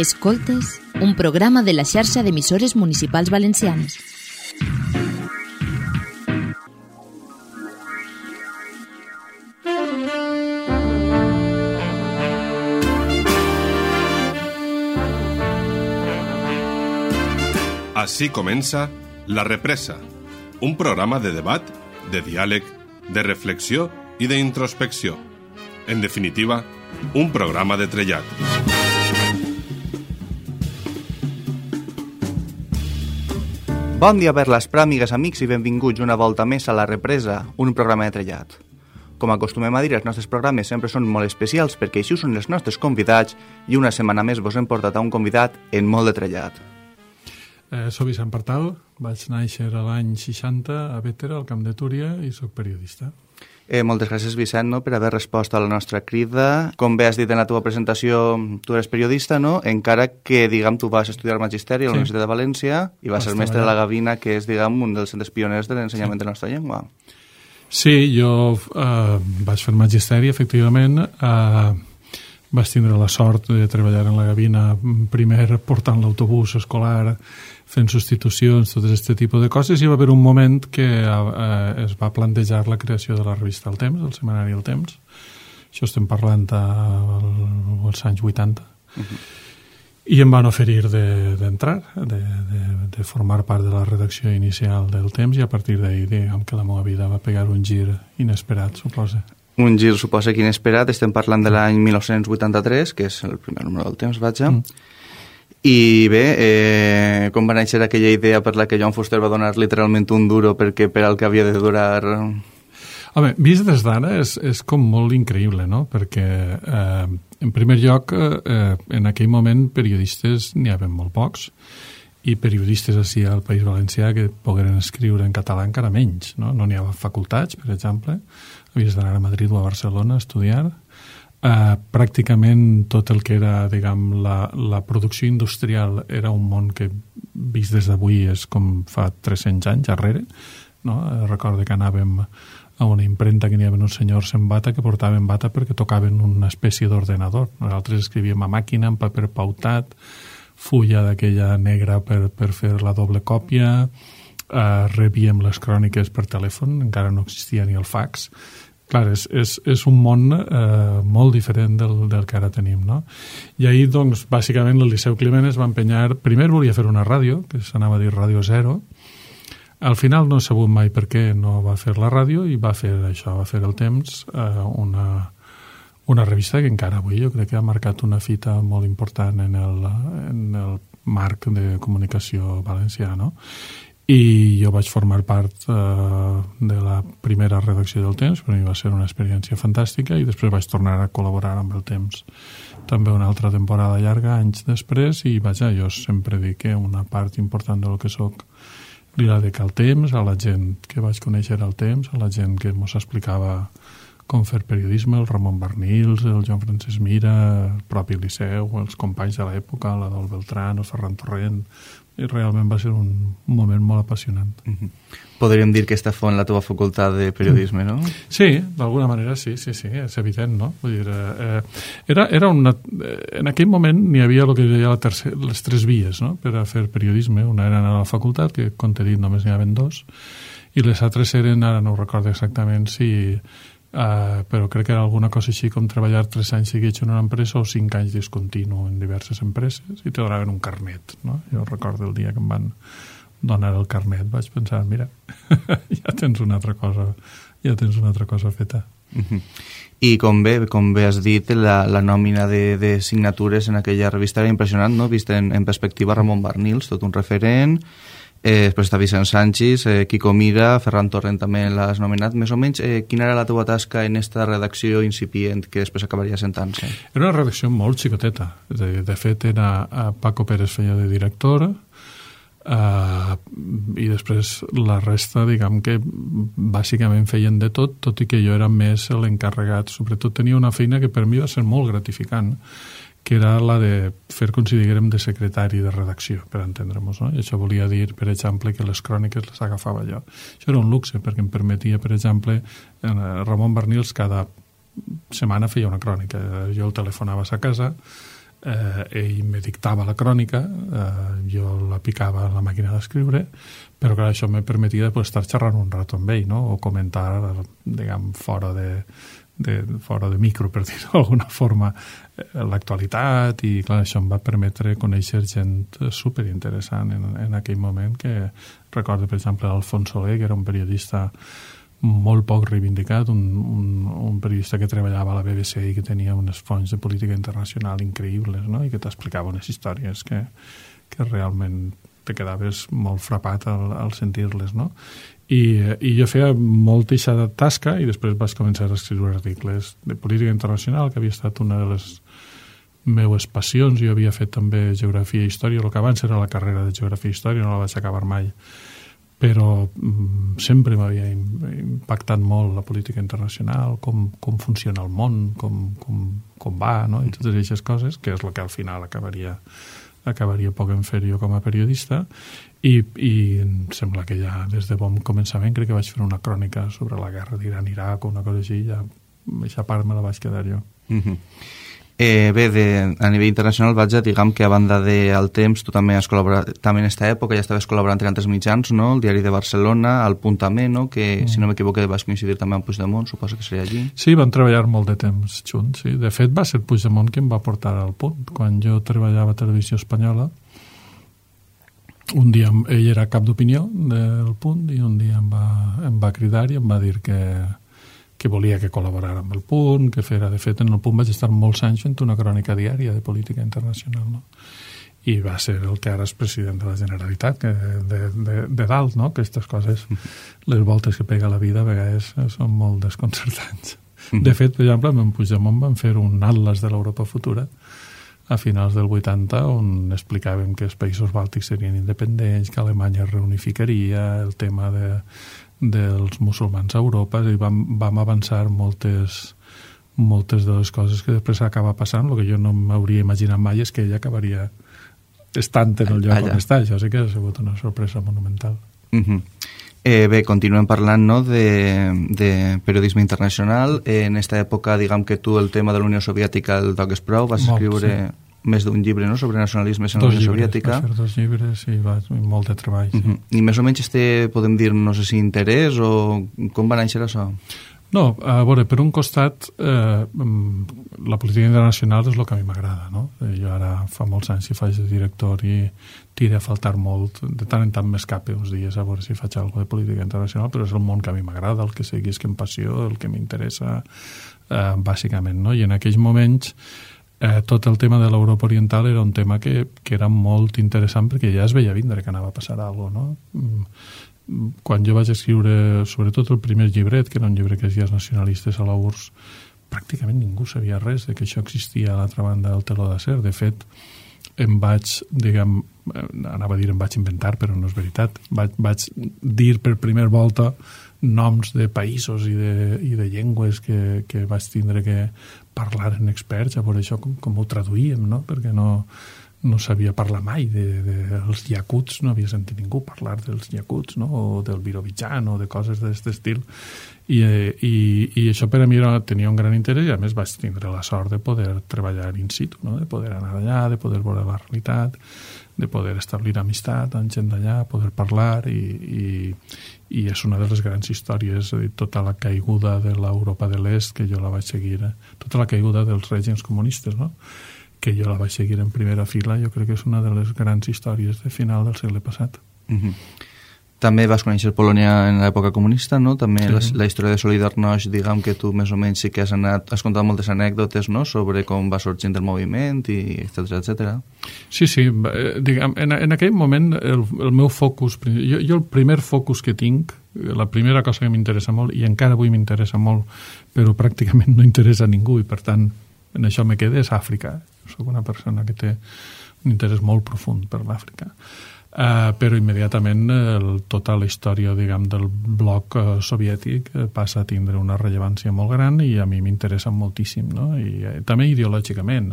Escoltes, un programa de la xarxa d'emissores municipals valencianes. Así comença La Represa, un programa de debat, de diàleg, de reflexió i d'introspecció. En definitiva, un programa de trellat. Bon dia per l'Aspra, amigues, amics, i benvinguts una volta més a La Represa, un programa de trellat. Com acostumem a dir, els nostres programes sempre són molt especials perquè així són els nostres convidats i una setmana més vos hem portat a un convidat en molt de trellat. Soc Vicent Partal, vaig néixer a l'any 60 a Bétera, al Camp de Túria, i soc periodista. Moltes gràcies, Vicent, no, per haver respost a la nostra crida. Com bé has dit en la teva presentació, tu eres periodista, no? Encara que, diguem, tu vas estudiar Magisteri a la Universitat de València i vas ser mestre de la Gavina, que és, diguem, un dels centres pioners de l'ensenyament de la nostra llengua. Sí, jo vaig fer Magisteri, efectivament. Vaig tindre la sort de treballar en la Gavina, primer portant l'autobús escolar, fent substitucions, tot aquest tipus de coses, i va haver un moment que es va plantejar la creació de la revista El Temps, del setmanari El Temps. Això estem parlant als anys 80. I em van oferir d'entrar, de formar part de la redacció inicial del Temps, i a partir d'ahir, diguem que la meva vida va pegar un gir inesperat, suposa. Un gir, suposa, que inesperat. Estem parlant de l'any 1983, que és el primer número del Temps, vaja. I bé, com va néixer aquella idea per la que Joan Fuster va donar literalment un duro perquè per al que havia de durar? Home, vist des d'ara és com molt increïble, no? Perquè, en primer lloc, en aquell moment periodistes n'hi havia molt pocs, i periodistes així al País Valencià que pogueren escriure en català encara menys, no? No n'hi havia facultats, per exemple, havies d'anar a Madrid o a Barcelona a estudiar. Pràcticament tot el que era, diguem, la producció industrial era un món que, vist des d'avui, és com fa 300 anys darrere, no? Recordo que anàvem a una impremta que n'hi havia uns senyors en bata que portaven bata perquè tocaven una espècie d'ordenador. Nosaltres escrivíem a màquina, en paper pautat, fulla d'aquella negra per fer la doble còpia, rebíem les cròniques per telèfon, encara no existia ni el fax. Clar, és un món molt diferent del que ara tenim, no? I ahir, doncs, bàsicament, el Liceu Climent es va empenyar... Primer volia fer una ràdio, que s'anava a dir Ràdio Zero. Al final no he sabut mai per què no va fer la ràdio i va fer això, va fer El Temps, una revista que encara avui jo crec que ha marcat una fita molt important en el marc de comunicació valencià, no? I jo vaig formar part de la primera redacció del Temps, per mi va ser una experiència fantàstica, i després vaig tornar a col·laborar amb el Temps també una altra temporada llarga, anys després, i vaja, jo sempre dic que una part important del que soc li la dec al Temps, a la gent que vaig conèixer al Temps, a la gent que mos explicava com fer periodisme, el Ramon Barnils, el Joan Francesc Mira, el propi Liceu, els companys de l'època, l'Adol Beltrán, el Ferran Torrent, i realment va ser un moment molt apassionant. Podríem dir que esta fou en la teva facultat de periodisme, no? Sí, d'alguna manera sí, és evident, no? Vull dir, era una... En aquell moment n'hi havia el que deia les tres vies, no?, per a fer periodisme. Una era anar a la facultat, que, com t'he dit, només n'hi havia dos, i les altres eren, ara no ho recordo exactament si... però crec que era alguna cosa així com treballar 3 anys seguits en una empresa o 5 anys discontinu en diverses empreses, i te donaven un carnet, no? Jo recordo el dia que em van donar el carnet, vaig pensar, mira, ja tens una altra cosa feta. I com bé has dit, la nòmina de signatures en aquella revista era impressionant, no? Vist en perspectiva, Ramon Barnils, tot un referent. Després està Vicent Sanchis, Quico Mira, Ferran Torrent també l'has nomenat. Més o menys, quina era la teva tasca en esta redacció incipient que després acabaria sentant-se? Era una redacció molt xicoteta. De fet, Paco Pérez feia de director, i després la resta, diguem que bàsicament feien de tot i que jo era més l'encarregat. Sobretot tenia una feina que per mi va ser molt gratificant, que era la de fer com si diguérem de secretari de redacció, per entendre-nos, no? I això volia dir, per exemple, que les cròniques les agafava jo. Això era un luxe, perquè em permetia, per exemple, Ramon Barnils cada setmana feia una crònica. Jo el telefonava a sa casa, ell me dictava la crònica, jo la picava a la màquina d'escriure, però clar, això me permetia estar xerrant un rato amb ell, no? O comentar, diguem, fora de micro, per dir-ho d'alguna forma, l'actualitat, i clar, això em va permetre conèixer gent superinteressant en aquell moment, que recordo, per exemple, l'Alfons Soler, que era un periodista molt poc reivindicat, un periodista que treballava a la BBC i que tenia unes fonts de política internacional increïbles, no? I que t'explicava unes històries que realment te quedaves molt frapat al sentir-les, no? I jo feia molta eixa tasca i després vaig començar a escriure articles de política internacional, que havia estat una de les meues passions. Jo havia fet també geografia i història, el que abans era la carrera de geografia i història, no la vaig acabar mai, però sempre m'havia impactat molt la política internacional, com funciona el món, com va, no? I totes aquestes coses, que és el que al final acabaria poc en fer jo com a periodista, i em sembla que ja des de bon començament crec que vaig fer una crònica sobre la guerra d'Iran-Iraq o una cosa així, ja aquesta part me la vaig quedar jo. Bé, a nivell internacional, diguem que a banda del Temps, tu també has col·laborat, també en aquesta època ja estaves col·laborant en altres mitjans, no? El Diari de Barcelona, el Punt també, no? Que, si no m'equivoco, vas coincidir també amb Puigdemont, suposo que seria allí. Sí, van treballar molt de temps junts, sí. De fet, va ser Puigdemont qui em va portar al Punt. Quan jo treballava a Televisió Espanyola, un dia ell era cap d'opinió del Punt i un dia em va cridar i em va dir que volia que col·laborara amb el Punt, que fera... De fet, en el Punt vaig estar molts anys fent una crònica diària de política internacional, no? I va ser el que ara és president de la Generalitat, que de dalt, no? Que aquestes coses, les voltes que pega la vida, a vegades són molt desconcertants. De fet, per exemple, amb en Puigdemont van fer un atlas de l'Europa futura a finals del 80, on explicàvem que els països bàltics serien independents, que Alemanya es reunificaria, el tema dels musulmans a Europa, i vam avançar moltes de les coses que després acaba passant. El que jo no m'hauria imaginat mai és que ella acabaria estant en el lloc on està. Això sí que ha sigut una sorpresa monumental. Bé, continuem parlant, no, de periodisme internacional. En aquesta època, diguem que tu el tema de la Unió Soviètica el toques prou, vas escriure més d'un llibre, no?, sobre nacionalismes en la Unió Soviètica. Vaig fer 2 llibres i molt de treball. Sí. I més o menys podem dir, no sé si interès o com va néixer això? No, a veure, per un costat, la política internacional és el que a mi m'agrada, no? Jo ara fa molts anys que faig de director i tira a faltar molt. De tant en tant m'escape uns dies a veure si faig alguna de política internacional, però és el món que a mi m'agrada, el que seguís que em passió, el que m'interessa, bàsicament, no? I en aquells moments tot el tema de l'Europa Oriental era un tema que era molt interessant perquè ja es veia vindre que anava a passar alguna cosa, no? Quan jo vaig escriure, sobretot el primer llibret, que era un llibre que es deia Els nacionalistes a la URSS, pràcticament ningú sabia res de que això existia a l'altra banda del teló d'acer. De fet, em vaig inventar, però no és veritat, vaig dir per primera volta noms de països i de llengües que vaig tindre que parlar en experts, a veure això com ho traduïem, no? Perquè no sabia parlar mai dels iacuts, no havia sentit ningú parlar dels iacuts, no? O del Birobidzhan o de coses d'aquest estil. I això per a mi tenia un gran interès i a més vaig tindre la sort de poder treballar in situ, no? De poder anar allà, de poder veure la realitat, de poder establir amistat amb gent d'allà, poder parlar i és una de les grans històries, tota la caiguda de l'Europa de l'Est, que jo la vaig seguir, tota la caiguda dels règims comunistes, no?, que jo la vaig seguir en primera fila. Jo crec que és una de les grans històries de final del segle passat. També vas conèixer Polònia en l'època comunista, no? També sí. La història de Solidarność, diguem que tu més o menys sí que has contat moltes anècdotes, no?, sobre com va sorgint el moviment, i etcètera. Sí, diguem, en aquell moment el meu focus, jo el primer focus que tinc, la primera cosa que m'interessa molt, i encara avui m'interessa molt, però pràcticament no interessa a ningú, i per tant en això me quedé, és Àfrica. Soc una persona que té un interès molt profund per l'Àfrica. Però immediatament tota la història, diguem, del bloc soviètic passa a tindre una rellevància molt gran i a mi m'interessa moltíssim, no? I també ideològicament.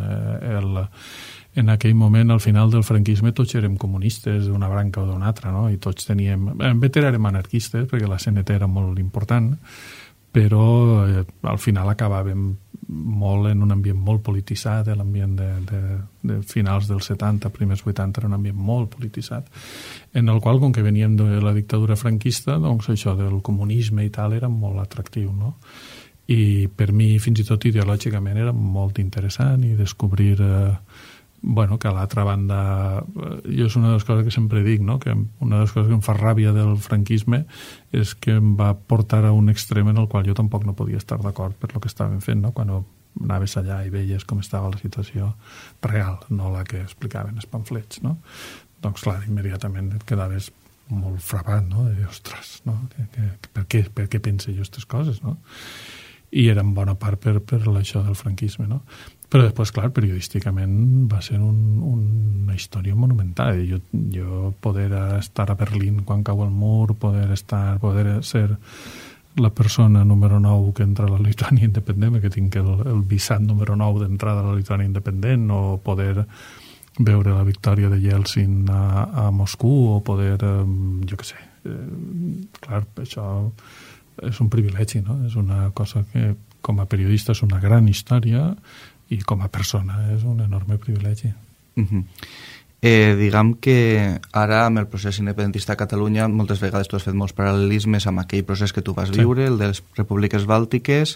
En aquell moment, al final del franquisme, tots érem comunistes d'una branca o d'una altra, no? I tots teníem... En fet, érem anarquistes, perquè la CNT era molt important, però al final acabàvem molt en un ambient molt polititzat, l'ambient de finals dels 70, primers 80, era un ambient molt polititzat, en el qual, com que veníem de la dictadura franquista, doncs això del comunisme i tal era molt atractiu, no? I per mi, fins i tot ideològicament, era molt interessant i descobrir que a l'altra banda, jo és una de les coses que sempre dic, no? Que una de les coses que em fa ràbia del franquisme és que em va portar a un extrem en el qual jo tampoc no podia estar d'acord per lo que estaven fent, no? Quan anaves allà i veies com estava la situació real, no la que explicaven els pamflets, no? Doncs clar, immediatament et quedaves molt frapat, no? De dir, ostres, no? Per què pense jo aquestes coses, no? I era en bona part per això del franquisme, no? Però després, clar, periodísticament va ser una història monumental. Jo poder estar a Berlín quan cau el mur, poder ser la persona número 9 que entra a la Lituània independent, que tinc el visat número 9 d'entrada a la Lituània independent, o poder veure la victòria de Yeltsin a Moscou, o poder, jo què sé, clar, això és un privilegi, no? És una cosa que com a periodista és una gran història i com a persona és un enorme privilegi. Diguem que ara amb el procés independentista a Catalunya moltes vegades tu has fet molts paral·lelismes amb aquell procés que tu vas viure, el de les repúbliques bàltiques,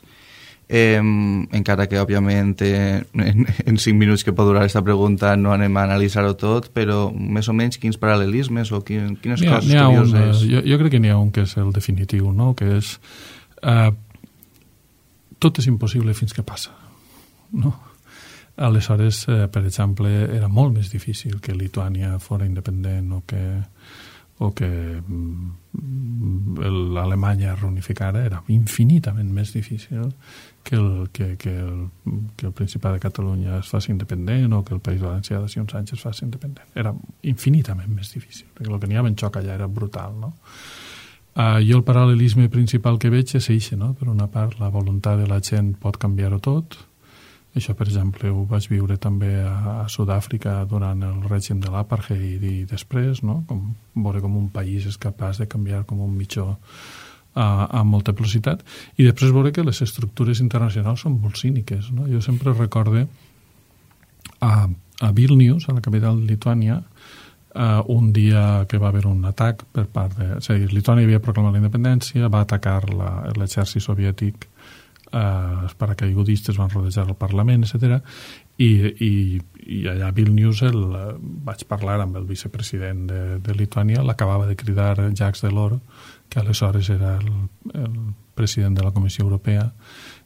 encara que òbviament en 5 minuts que pot durar aquesta pregunta no anem a analitzar-ho tot, però més o menys quins paral·lelismes o quines coses curioses? Jo crec que n'hi ha un que és el definitiu, no? Que és tot és impossible fins que passa, no? Aleshores, per exemple, era molt més difícil que Lituània fora independent o que l'Alemanya reunificara, era infinitament més difícil que el Principat de Catalunya es faci independent o que el País Valencià de uns anys es faci independent. Era infinitament més difícil, perquè el que n'hi havia en xoc allà era brutal, no? Jo el paral·lelisme principal que veig és eixe, no? Per una part, la voluntat de la gent pot canviar-ho tot. Això, per exemple, ho vaig viure també a Sud-àfrica durant el règim de l'apartheid i després, no? Veure com un país és capaç de canviar com un mitjó amb molta velocitat, i després veure que les estructures internacionals són molt cíniques, no? Jo sempre recorde a Vilnius, a la capital de Lituània, un dia que va haver un atac per part de... És a dir, Lituània havia proclamat la independència, va atacar l'exèrcit soviètic, els paracaigudistes van rodejar el Parlament, etc. I allà a Vilnius vaig parlar amb el vicepresident de Lituània, l'acabava de cridar Jacques Delors, que aleshores era el president de la Comissió Europea,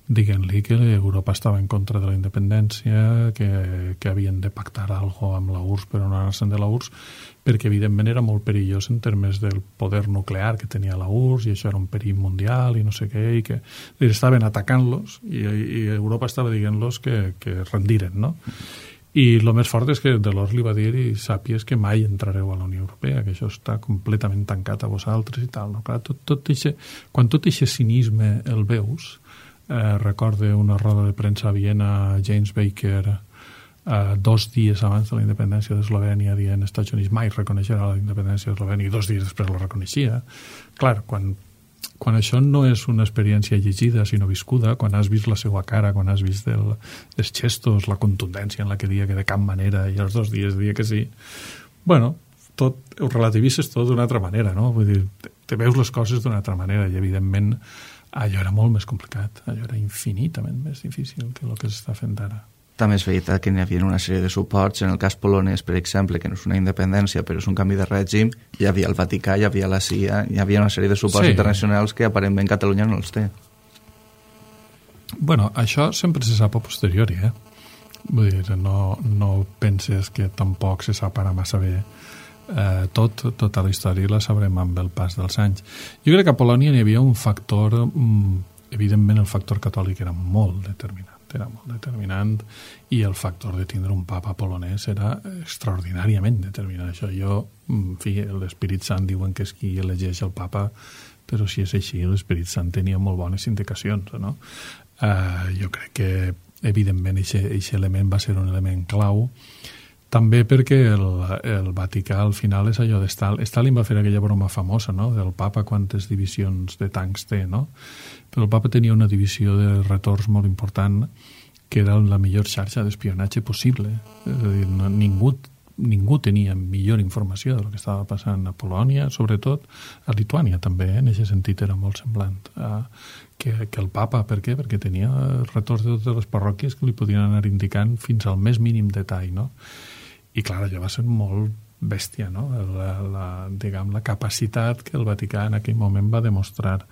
dient-li que Europa estava en contra de la independència, que havien de pactar alguna cosa amb la URSS per no anar-se'n de la URSS, perquè evidentment era molt perillós en termes del poder nuclear que tenia la URSS, i això era un perill mundial i no sé què, i que estaven atacant-los i Europa estava dient-los que rendiren, no? I el més fort és que Delors li va dir i sàpies que mai entrareu a la Unió Europea, que això està completament tancat a vosaltres i tal, no? Clar, quan tot aquest cinisme el veus, recorde una roda de premsa a Viena, James Baker, 2 dies abans de la independència d'Eslovènia, dient als Estats Units mai reconeixerà la independència d'Eslovènia, i 2 dies després la reconeixia. Clar, quan això no és una experiència llegida, sinó viscuda, quan has vist la seva cara, quan has vist els gestos, la contundència en la que dia que de cap manera, i els 2 dies dia que sí, bueno, tot ho relativitzes tot d'una altra manera, no? Vull dir, te veus les coses d'una altra manera, i evidentment allò era molt més complicat, allò era infinitament més difícil que el que s'està fent ara. També és veritat que n'hi havia una sèrie de suports. En el cas polonès, per exemple, que no és una independència, però és un canvi de règim, hi havia el Vaticà, hi havia la CIA, hi havia una sèrie de suports internacionals que aparentment Catalunya no els té. Bueno, això sempre se sap a posteriori, Vull dir, no penses que tampoc se sap ara massa bé. Tota la història la sabrem amb el pas dels anys. Jo crec que a Polònia hi havia un factor, evidentment el factor catòlic era molt determinant, i el factor de tindre un papa polonès era extraordinàriament determinant. Això en fi, l'Espírit Sant diuen que és qui elegeix el papa, però si és així, l'Espírit Sant tenia molt bones indicacions, no? Jo crec que evidentment aquest element va ser un element clau. També perquè el Vaticà al final és allò de Stalin va fer aquella broma famosa, no?, del papa quantes divisions de tancs té, no? Però el papa tenia una divisió de retorns molt important que era la millor xarxa d'espionatge possible. És a dir, ningú tenia millor informació del que estava passant a Polònia, sobretot a Lituània també, en aquest sentit era molt semblant que el papa. Per què? Perquè tenia retorns de totes les parròquies que li podien anar indicant fins al més mínim detall, no? I clar, allò va ser molt bèstia, no? La capacitat que el Vaticà en aquell moment va demostrar.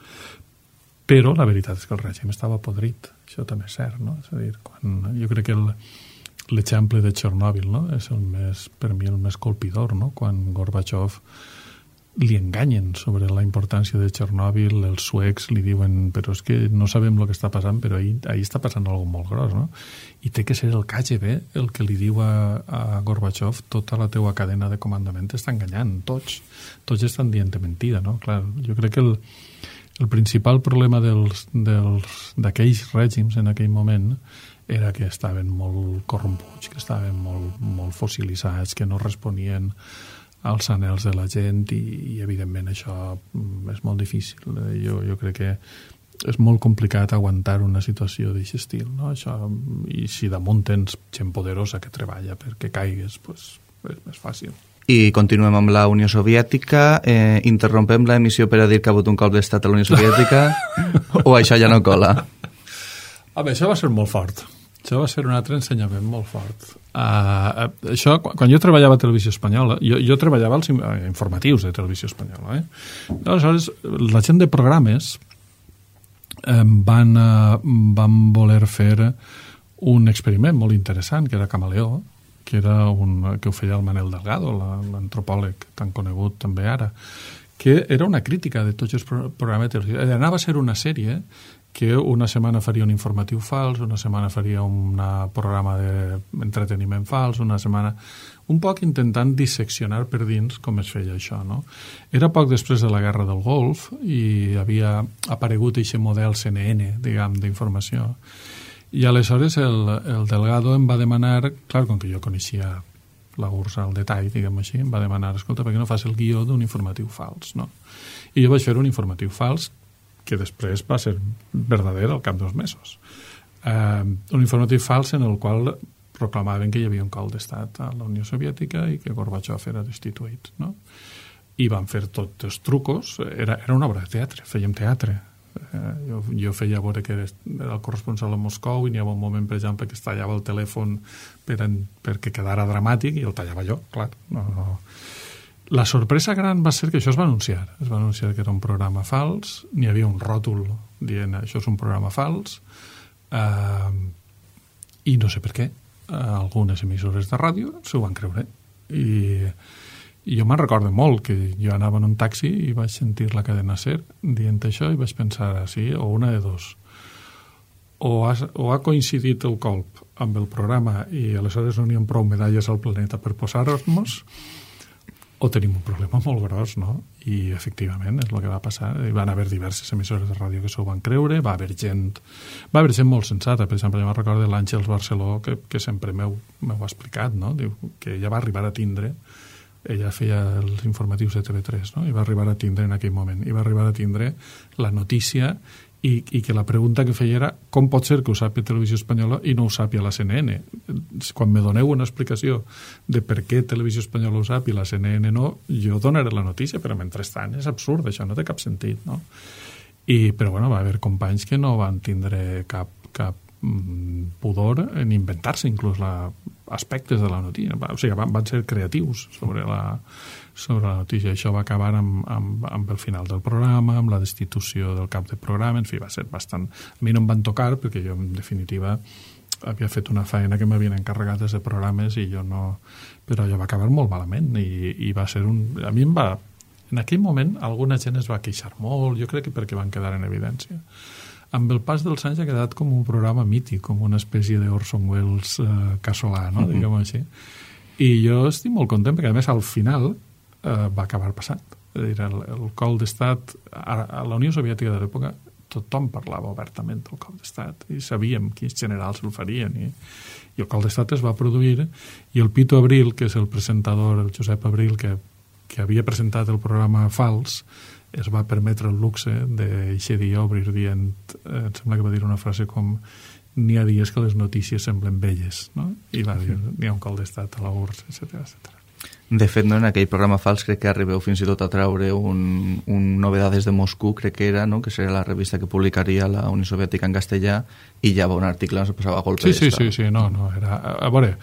Però la veritat és que el règim estava podrit, això també és cert, no? És a dir, jo crec que l'exemple de Txernòbil, no?, és per mi el més colpidor, no? Quan Gorbachev li enganyen sobre la importància de Txernòbil, els suecs li diuen però és que no sabem el que està passant, però ahí està passant alguna molt gros, no? I té que ser el KGB el que li diu a Gorbachev tota la teua cadena de comandament t'està enganyant, tots estan dient mentida, no? Clar, jo crec que el principal problema d'aquells règims en aquell moment era que estaven molt corromputs, que estaven molt fossilitzats, que no responien als anhels de la gent i evidentment això és molt difícil. Jo crec que és molt complicat aguantar una situació d'aquest estil, no? Això, i si damunt tens gent poderosa que treballa perquè caigues, pues, és més fàcil. I continuem amb la Unió Soviètica. Interrompem l'emissió per a dir que ha hagut un cop d'estat a la Unió Soviètica o això ja no cola? Això va ser molt fort. Això va ser un altre ensenyament molt fort. Això, quan jo treballava a Televisió Espanyola, jo treballava als informatius de Televisió Espanyola. Aleshores, la gent de programes van voler fer un experiment molt interessant, que era Camaleó, que ho feia el Manel Delgado, l'antropòleg tan conegut també ara, que era una crítica de tots els programes de televisió. Anava a ser una sèrie que una setmana faria un informatiu fals, una setmana faria un programa d'entreteniment fals, una setmana... Un poc intentant disseccionar per dins com es feia això, no? Era poc després de la Guerra del Golf i havia aparegut aquest model CNN, diguem, d'informació. I aleshores el Delgado em va demanar, clar, com que jo coneixia la URSS al detall, diguem així, em va demanar, escolta, per què no fas el guió d'un informatiu fals, no? I jo vaig fer un informatiu fals que després va ser verdader al cap d'2 mesos. Un informatiu fals en el qual proclamaven que hi havia un cop d'estat a la Unió Soviètica i que Gorbachev era destituït, no? I van fer tots els trucos. Era una obra de teatre, fèiem teatre. Jo feia veure que era el corresponsal a Moscou i n'hi havia un moment, per exemple, que es tallava el telèfon perquè quedara dramàtic i el tallava jo, clar. No. La sorpresa gran va ser que això es va anunciar. Es va anunciar que era un programa fals, n'hi havia un ròtol dient això és un programa fals, i no sé per què algunes emissores de ràdio s'ho van creure. I jo me'n recordo molt que jo anava en un taxi i vaig sentir la cadena SER dient això i vaig pensar així, o una de dos. O ha coincidit el colp amb el programa i aleshores no n'hi ha prou medalles al planeta per posar-nos, o tenim un problema molt gros, no? I efectivament és el que va passar. Hi van haver diverses emissores de ràdio que s'ho van creure, va haver gent molt sensata. Per exemple, jo me'n recordo l'Àngels Barceló, que sempre m'ho ha explicat, no? Diu que ella va arribar a tindre, ella feia els informatius de TV3, no? I va arribar a tindre en aquell moment, i va arribar a tindre la notícia i que la pregunta que feia era com pot ser que ho sàpia Televisió Espanyola i no ho sàpia la CNN? Quan me doneu una explicació de per què Televisió Espanyola ho sàpia i la CNN no, jo donaré la notícia, però mentrestant és absurd, això no té cap sentit, no? Però bueno, va haver companys que no van tindre cap pudor en inventar-se inclús aspectes de la notícia. O sigui, van ser creatius sobre la notícia. Això va acabar amb el final del programa, amb la destitució del cap de programa, en fi, va ser bastant... A mi no em van tocar perquè jo, en definitiva, havia fet una feina que m'havien encarregat des de programes i jo no... Però allò va acabar molt malament i va ser un... A mi em va... En aquell moment alguna gent es va queixar molt, jo crec que perquè van quedar en evidència. Amb el pas dels anys ha quedat com un programa mític, com una espècie d'Orson Welles casolà, no? Diguem-ho així. I jo estic molt content perquè, a més, al final va acabar passant. És a dir, el cop d'estat a la Unió Soviètica de l'època, tothom parlava obertament del cop d'estat i sabíem quins generals el farien i el cop d'estat es va produir i el Pito Abril, que és el presentador, el Josep Abril, que havia presentat el programa Fals, es va permetre el luxe d'eixe dia obrir dient, em sembla que va dir una frase com n'hi ha dies que les notícies semblen velles, no? I va dir, n'hi ha un cop d'estat a la URSS, etc. De fet, no, en aquell programa Fals crec que arribeu fins i tot a treure un Novedades de Moscou, crec que era, no? Que seria la revista que publicaria la Unió Soviètica en castellà, i ja va un article on se passava a golpe d'estat. Sí, no, era... A veure,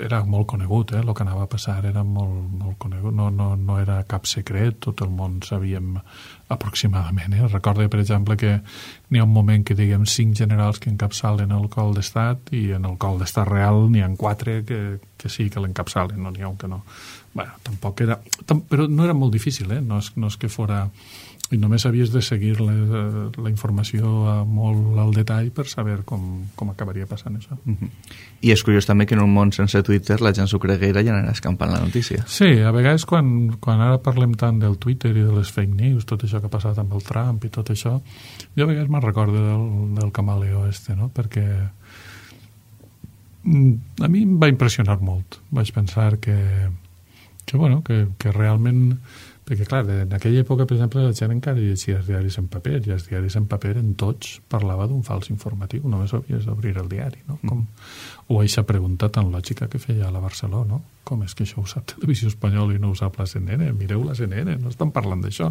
era molt conegut, el que anava a passar era molt conegut, no era cap secret, tot el món sabíem aproximadament. Recordo, per exemple, que n'hi ha un moment que diguem 5 generals que encapçalen el cop d'estat i en el cop d'estat real n'hi ha 4 que sí que l'encapçalen, no n'hi ha un que no. Bueno, tampoc era... Però no era molt difícil, no és que fora... I només havies de seguir la informació molt al detall per saber com acabaria passant això. I és curiós també que en un món sense Twitter la gent s'ho creguera i anarà escampant la notícia. Sí, a vegades quan ara parlem tant del Twitter i de les fake news, tot això que ha passat amb el Trump i tot això, jo a vegades me'n recordo del camaleó no? Perquè a mi em va impressionar molt. Vaig pensar que realment... Perquè, clar, en aquella època, per exemple, la gent encara llegia els diaris en paper, i els diaris en paper en tots parlava d'un fals informatiu, només havies d'obrir el diari, no? O aquesta pregunta tan lògica que feia a la Barceló, no? Com és que això ho sap Televisió Espanyola i no ho sap la CNN? Mireu la CNN, no estan parlant d'això.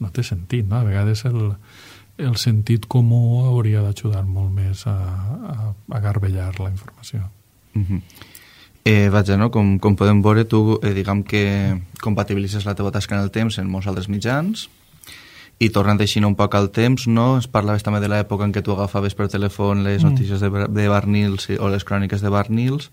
No té sentit, no? A vegades el sentit comú hauria d'ajudar molt més a garbellar la informació. Vaja, no? Com podem veure, tu diguem que compatibilitzes la teva tasca en el temps en molts altres mitjans i tornant així un poc al temps, no? Es parlaves també de l'època en què tu agafaves per telèfon les notícies de Barnils o les cròniques de Barnils.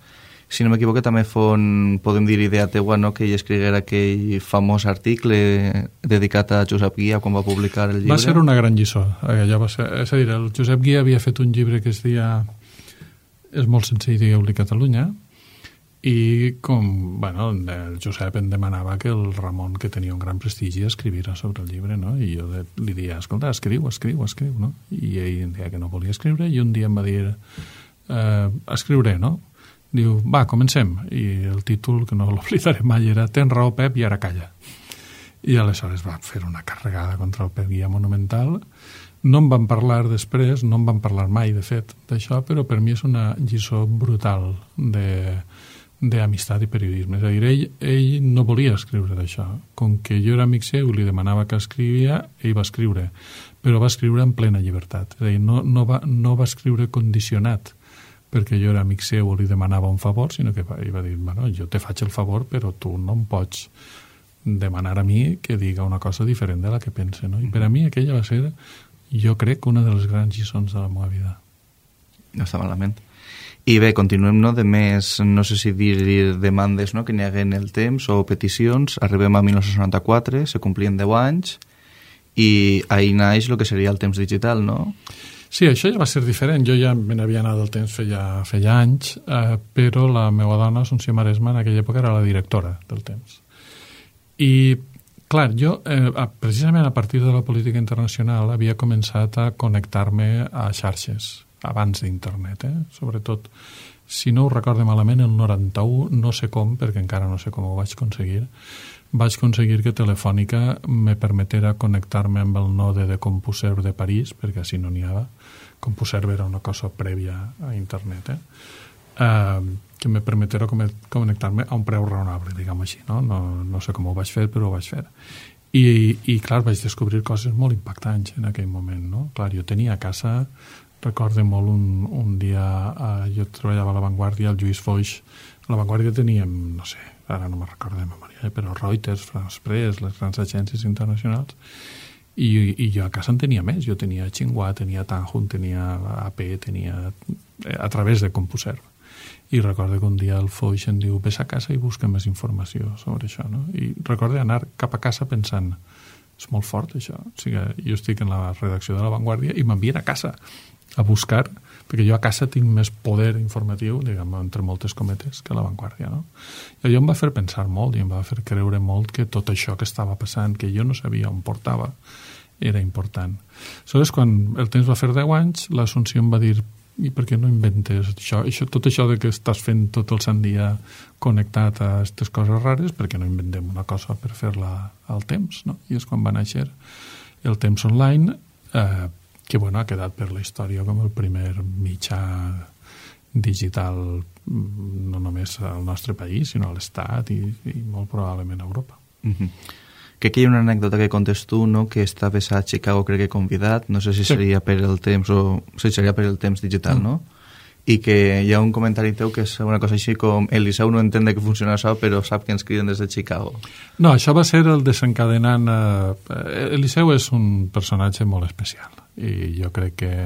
Si no m'equivoco, també podem dir idea teua, no? Que ell escriguera aquell famós article dedicat a Josep Guia quan va publicar el llibre. Va ser una gran lliçó. És a dir, el Josep Guia havia fet un llibre que es deia És molt senzill, digueu-li Catalunya, i com, el Josep em demanava que el Ramon, que tenia un gran prestigi, escrivira sobre el llibre, no? I jo li deia, escolta, escriu, no? I ell em deia que no volia escriure, i un dia em va dir, escriuré, no? Diu, va, comencem. I el títol, que no l'oblidaré mai, era Tens raó, Pep, i ara calla. I aleshores va fer una carregada contra el Pep Guia monumental. No en van parlar després, no en van parlar mai, de fet, d'això, però per mi és una lliçó brutal d'amistat i periodisme. És a dir, ell no volia escriure d'això. Com que jo era amic seu i li demanava que escrivia, ell va escriure, però va escriure en plena llibertat. És a dir, no va escriure condicionat perquè jo era amic seu o li demanava un favor, sinó que ell va dir, jo te faig el favor, però tu no em pots demanar a mi que diga una cosa diferent de la que pense, no? I per a mi aquella va ser, jo crec, una de les grans lliçons de la meva vida. No està malament. I bé, continuem, no?, de més, no sé si dir demandes, no?, que n'hi hagué en el temps o peticions. Arribem a 1994, se complien 10 anys i ahir naix el que seria el temps digital, no? Sí, això ja va ser diferent. Jo ja me n'havia anat del temps feia anys, però la meva dona, Assumpció Maresma, en aquella època era la directora del temps. I, clar, jo, precisament a partir de la política internacional, havia començat a connectar-me a xarxes, abans d'internet, sobretot, si no ho recorde malament, el 91, no sé com, perquè encara no sé com ho vaig aconseguir que Telefònica me permetera connectar-me amb el node de CompuServe de París, perquè així no n'hi havia. CompuServe era una cosa prèvia a internet, que me permetera connectar-me a un preu raonable, diguem així, no? No sé com ho vaig fer, però ho vaig fer. I clar, vaig descobrir coses molt impactants en aquell moment, no? Clar, jo tenia a casa, recordo molt un dia, jo treballava a La Vanguardia, el Lluís Foix, a La Vanguardia teníem, no sé, ara no me'n recordo de memòria, però Reuters, France Press, les grans agències internacionals, i jo a casa en tenia més, jo tenia Tsinghua, tenia Tanhun, tenia AP, tenia a través de CompuServe. I recordo que un dia el Foix em diu, ves a casa i busca més informació sobre això, no? I recordo anar cap a casa pensant, és molt fort això, o sigui, jo estic en la redacció de La Vanguardia i m'envien a casa a buscar, perquè jo a casa tinc més poder informatiu, diguem, entre moltes cometes, que a La Vanguardia, no? I allò em va fer pensar molt i em va fer creure molt que tot això que estava passant, que jo no sabia on portava, era important. Aleshores, quan el temps va fer 10 anys, l'Assumpció em va dir: i per què no inventes tot això de que estàs fent tot el sant dia connectat a aquestes coses rares, per què no inventem una cosa per fer-la al temps, no? I és quan va néixer el Temps Online, que bueno, ha quedat per la història com el primer mitjà digital, no només al nostre país, sinó a l'Estat i molt probablement a Europa. Que aquí hi ha una anècdota que contes tu, no? Que estaves a Chicago, crec que convidat, no sé si seria per el temps o si seria per el temps digital, no? I que hi ha un comentari teu que és una cosa així com: el Liceu no entén que funciona això, però sap que ens criden des de Chicago. No, això va ser el desencadenant. El Liceu és un personatge molt especial i jo crec que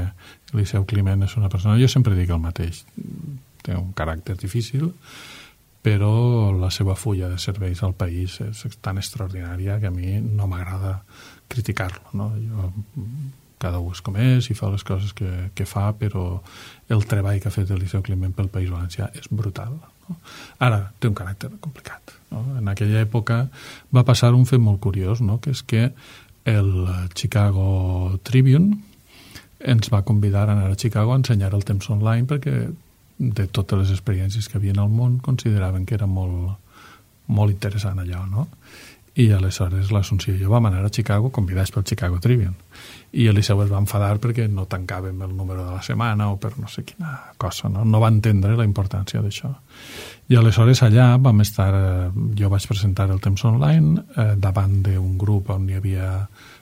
Liceu Climent és una persona, jo sempre dic el mateix, té un caràcter difícil, però la seva fulla de serveis al país és tan extraordinària que a mi no m'agrada criticar-lo, no? Cada un és com és i fa les coses que fa, però el treball que ha fet el Liceu Climent pel País Valencià és brutal, no? Ara, té un caràcter complicat, no? En aquella època va passar un fet molt curiós, no? Que és que el Chicago Tribune ens va convidar a anar a Chicago a ensenyar el Temps Online perquè de totes les experiències que havien al món consideraven que era molt, molt interessant allò, no? I aleshores l'Assumpció i jo vam anar a Chicago convidats pel Chicago Tribune i el Liceu es va enfadar perquè no tancàvem el número de la setmana o per no sé quina cosa, no va entendre la importància d'això. I aleshores allà vam estar, jo vaig presentar el Temps Online davant d'un grup on hi havia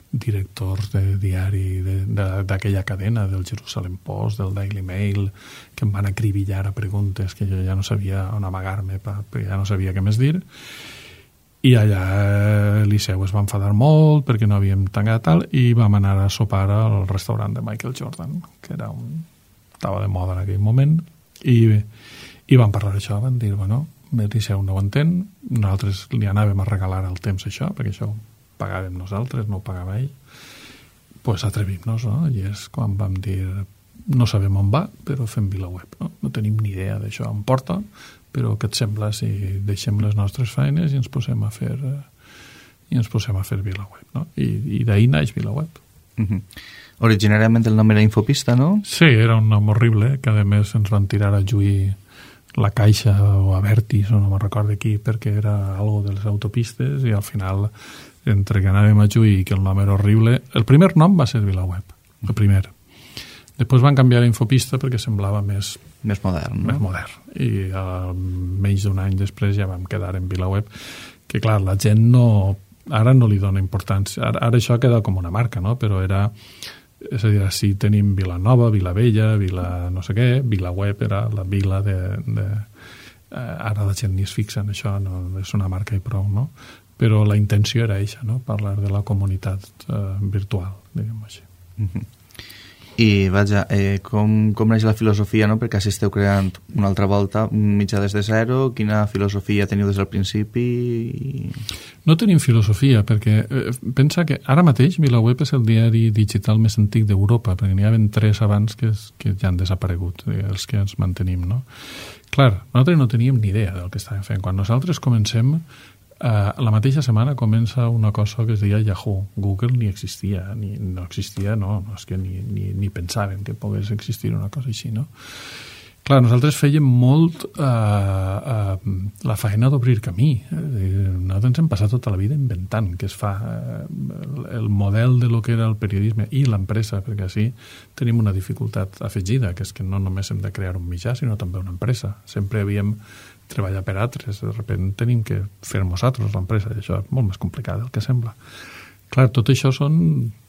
directors de diari d'aquella cadena, del Jerusalem Post, del Daily Mail, que em van acribillar a preguntes que jo ja no sabia on amagar-me perquè ja no sabia què més dir, i allà el Liceu es va enfadar molt perquè no havíem tancat tal, i vam anar a sopar al restaurant de Michael Jordan, que estava de moda en aquell moment, i vam parlar d'això, van dir, bueno, el Liceu no ho entén, nosaltres li anàvem a regalar el temps això, perquè això pagàvem nosaltres, no ho pagava ell, pues atrevim-nos, no? I és quan vam dir, no sabem on va, però fem VilaWeb, no? No tenim ni idea d'això on porta, però què et sembla si deixem les nostres feines i ens posem a fer VilaWeb, no? I d'ahir naix VilaWeb. Originàriament el nom era Infopista, no? Sí, era un nom horrible, que a més ens van tirar a juir la Caixa o a Vertis, o no me'n recordo qui, perquè era algo de les autopistes, i al final, entre que anàvem a juir i que el nom era horrible, el primer nom va ser VilaWeb, el primer. Després van canviar a Infopista perquè semblava més modern, no? Més modern. I menys d'un any després ja vam quedar en VilaWeb, que clar, la gent ara no li dona importància. Ara això ha quedat com una marca, no? Però era... És a dir, si tenim Vilanova, Vilavella, Vila no sé què, VilaWeb era la vila de... Ara la gent ni es fixa en això, no, és una marca i prou, no? Però la intenció era això, no? Parlar de la comunitat virtual, diguem-ho així. I vaja, com neix la filosofia, no? Perquè així esteu creant una altra volta un mitjà des de zero. Quina filosofia teniu des del principi? No tenim filosofia, perquè pensa que ara mateix VilaWeb és el diari digital més antic d'Europa, perquè n'hi havia 3 abans que ja han desaparegut, els que ens mantenim, no? Clar, nosaltres no teníem ni idea del que estàvem fent. Quan nosaltres comencem, la mateixa setmana comença una cosa que es deia Yahoo. Google ni existia, no existia, no, és que ni pensàvem que pogués existir una cosa així, no? Clar, nosaltres fèiem molt la feina d'obrir camí. Nosaltres ens hem passat tota la vida inventant què es fa, el model de lo que era el periodisme i l'empresa, perquè així tenim una dificultat afegida, que és que no només hem de crear un mitjà, sinó també una empresa. Sempre havíem treballat per altres, de sobte tenim que fer nosaltres l'empresa, i això és molt més complicat del que sembla. Clar, tot això són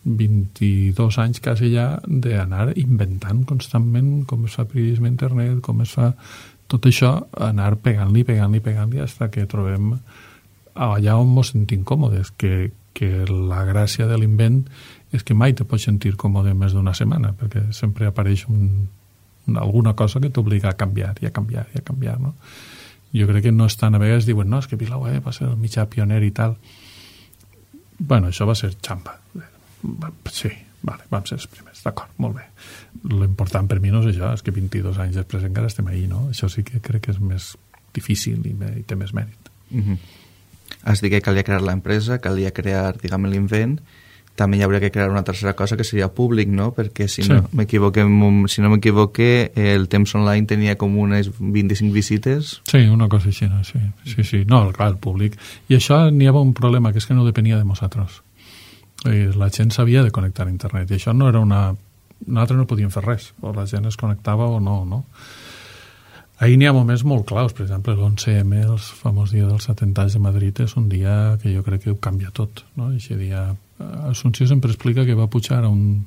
22 anys quasi ja d'anar inventant constantment com es fa periodisme a internet, com es fa tot això, anar pegant-li fins que trobem allà on ens sentim còmodes, que la gràcia de l'invent és que mai te pots sentir còmode més d'una setmana, perquè sempre apareix alguna cosa que t'obliga a canviar i a canviar, no? Jo crec que no estan, a vegades diuen, no, és que VilaWeb va ser el mitjà pioner i tal. Bueno, això va ser xamba. Sí, vale, vam ser els primers, d'acord, molt bé. L'important per mi no és això, és que 22 anys després encara estem ahí, no? Això sí que crec que és més difícil i té més mèrit. Has dit que calia crear l'empresa, calia crear, diguem, l'invent, també hi hauria que crear una tercera cosa que seria públic, no? Perquè si no m'equivoque, el Temps Online tenia com unes 25 visites. Sí, una cosa així, sí. No, clar, el públic. I això n'hi havia un problema, que és que no depenia de nosaltres. La gent s'havia de connectar a internet, i això no era nosaltres no podíem fer res, o la gent es connectava o no. Ahir n'hi ha moments molt claus, per exemple, l'11M, el famós dia dels atemptats de Madrid, és un dia que jo crec que ho canvia tot, no? Aquest dia, Assumpció sempre explica que va pujar a un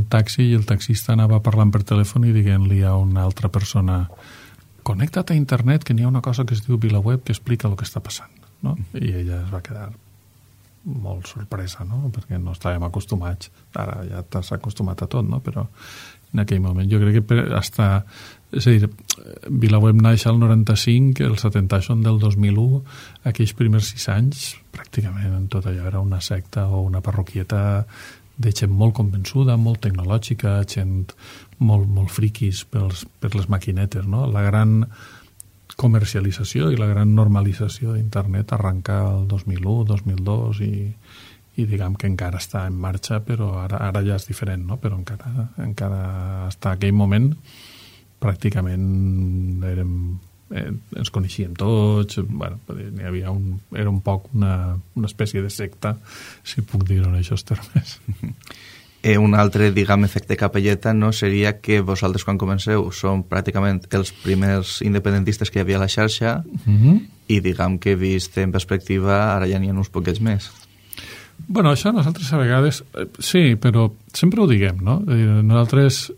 taxi i el taxista anava parlant per telèfon i dient-li a una altra persona: connecta't a internet, que n'hi ha una cosa que es diu VilaWeb que explica el que està passant, no? I ella es va quedar molt sorpresa, no? Perquè no estàvem acostumats. Ara ja t'has acostumat a tot, no? Però en aquell moment jo crec que és a dir, VilaWeb naix al 95, els atemptats són del 2001, aquells primers 6 anys pràcticament en tot allò era una secta o una parroquieta de gent molt convençuda, molt tecnològica, gent molt friquis per les maquinetes, no? La gran comercialització i la gran normalització d'internet arrenca el 2001, 2002 i diguem que encara està en marxa, però ara ja és diferent, no? Però encara està aquell moment pràcticament ens coneixíem tots, bueno, n'hi havia era un poc una espècie de secta, si puc dir-ho en aquests termes. Un altre, diguem, efecte capelleta, no, seria que vosaltres quan comenceu són pràcticament els primers independentistes que hi havia a la xarxa i diguem que vist en perspectiva ara ja n'hi ha uns poquets més. Bueno, això nosaltres a vegades sí, però sempre ho diguem, no? Nosaltres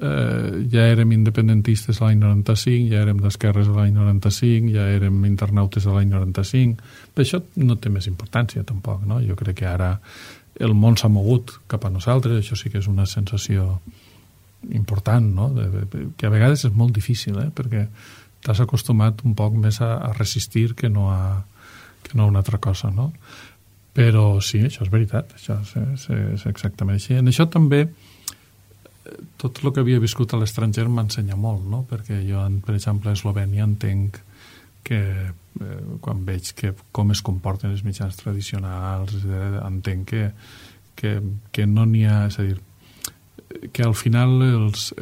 ja érem independentistes a l'any 95, ja érem d'esquerres a l'any 95, ja érem internautes a l'any 95, però això no té més importància tampoc, no? Jo crec que ara el món s'ha mogut cap a nosaltres, això sí que és una sensació important, no? Que a vegades és molt difícil, perquè t'has acostumat un poc més a resistir que no a una altra cosa, no? Però sí, això és veritat, això és exactament així. En això també tot el que havia viscut a l'estranger m'ensenya molt, no? Perquè jo, per exemple, a Eslovènia entenc que quan veig com es comporten els mitjans tradicionals, entenc que no n'hi ha, és a dir, que al final els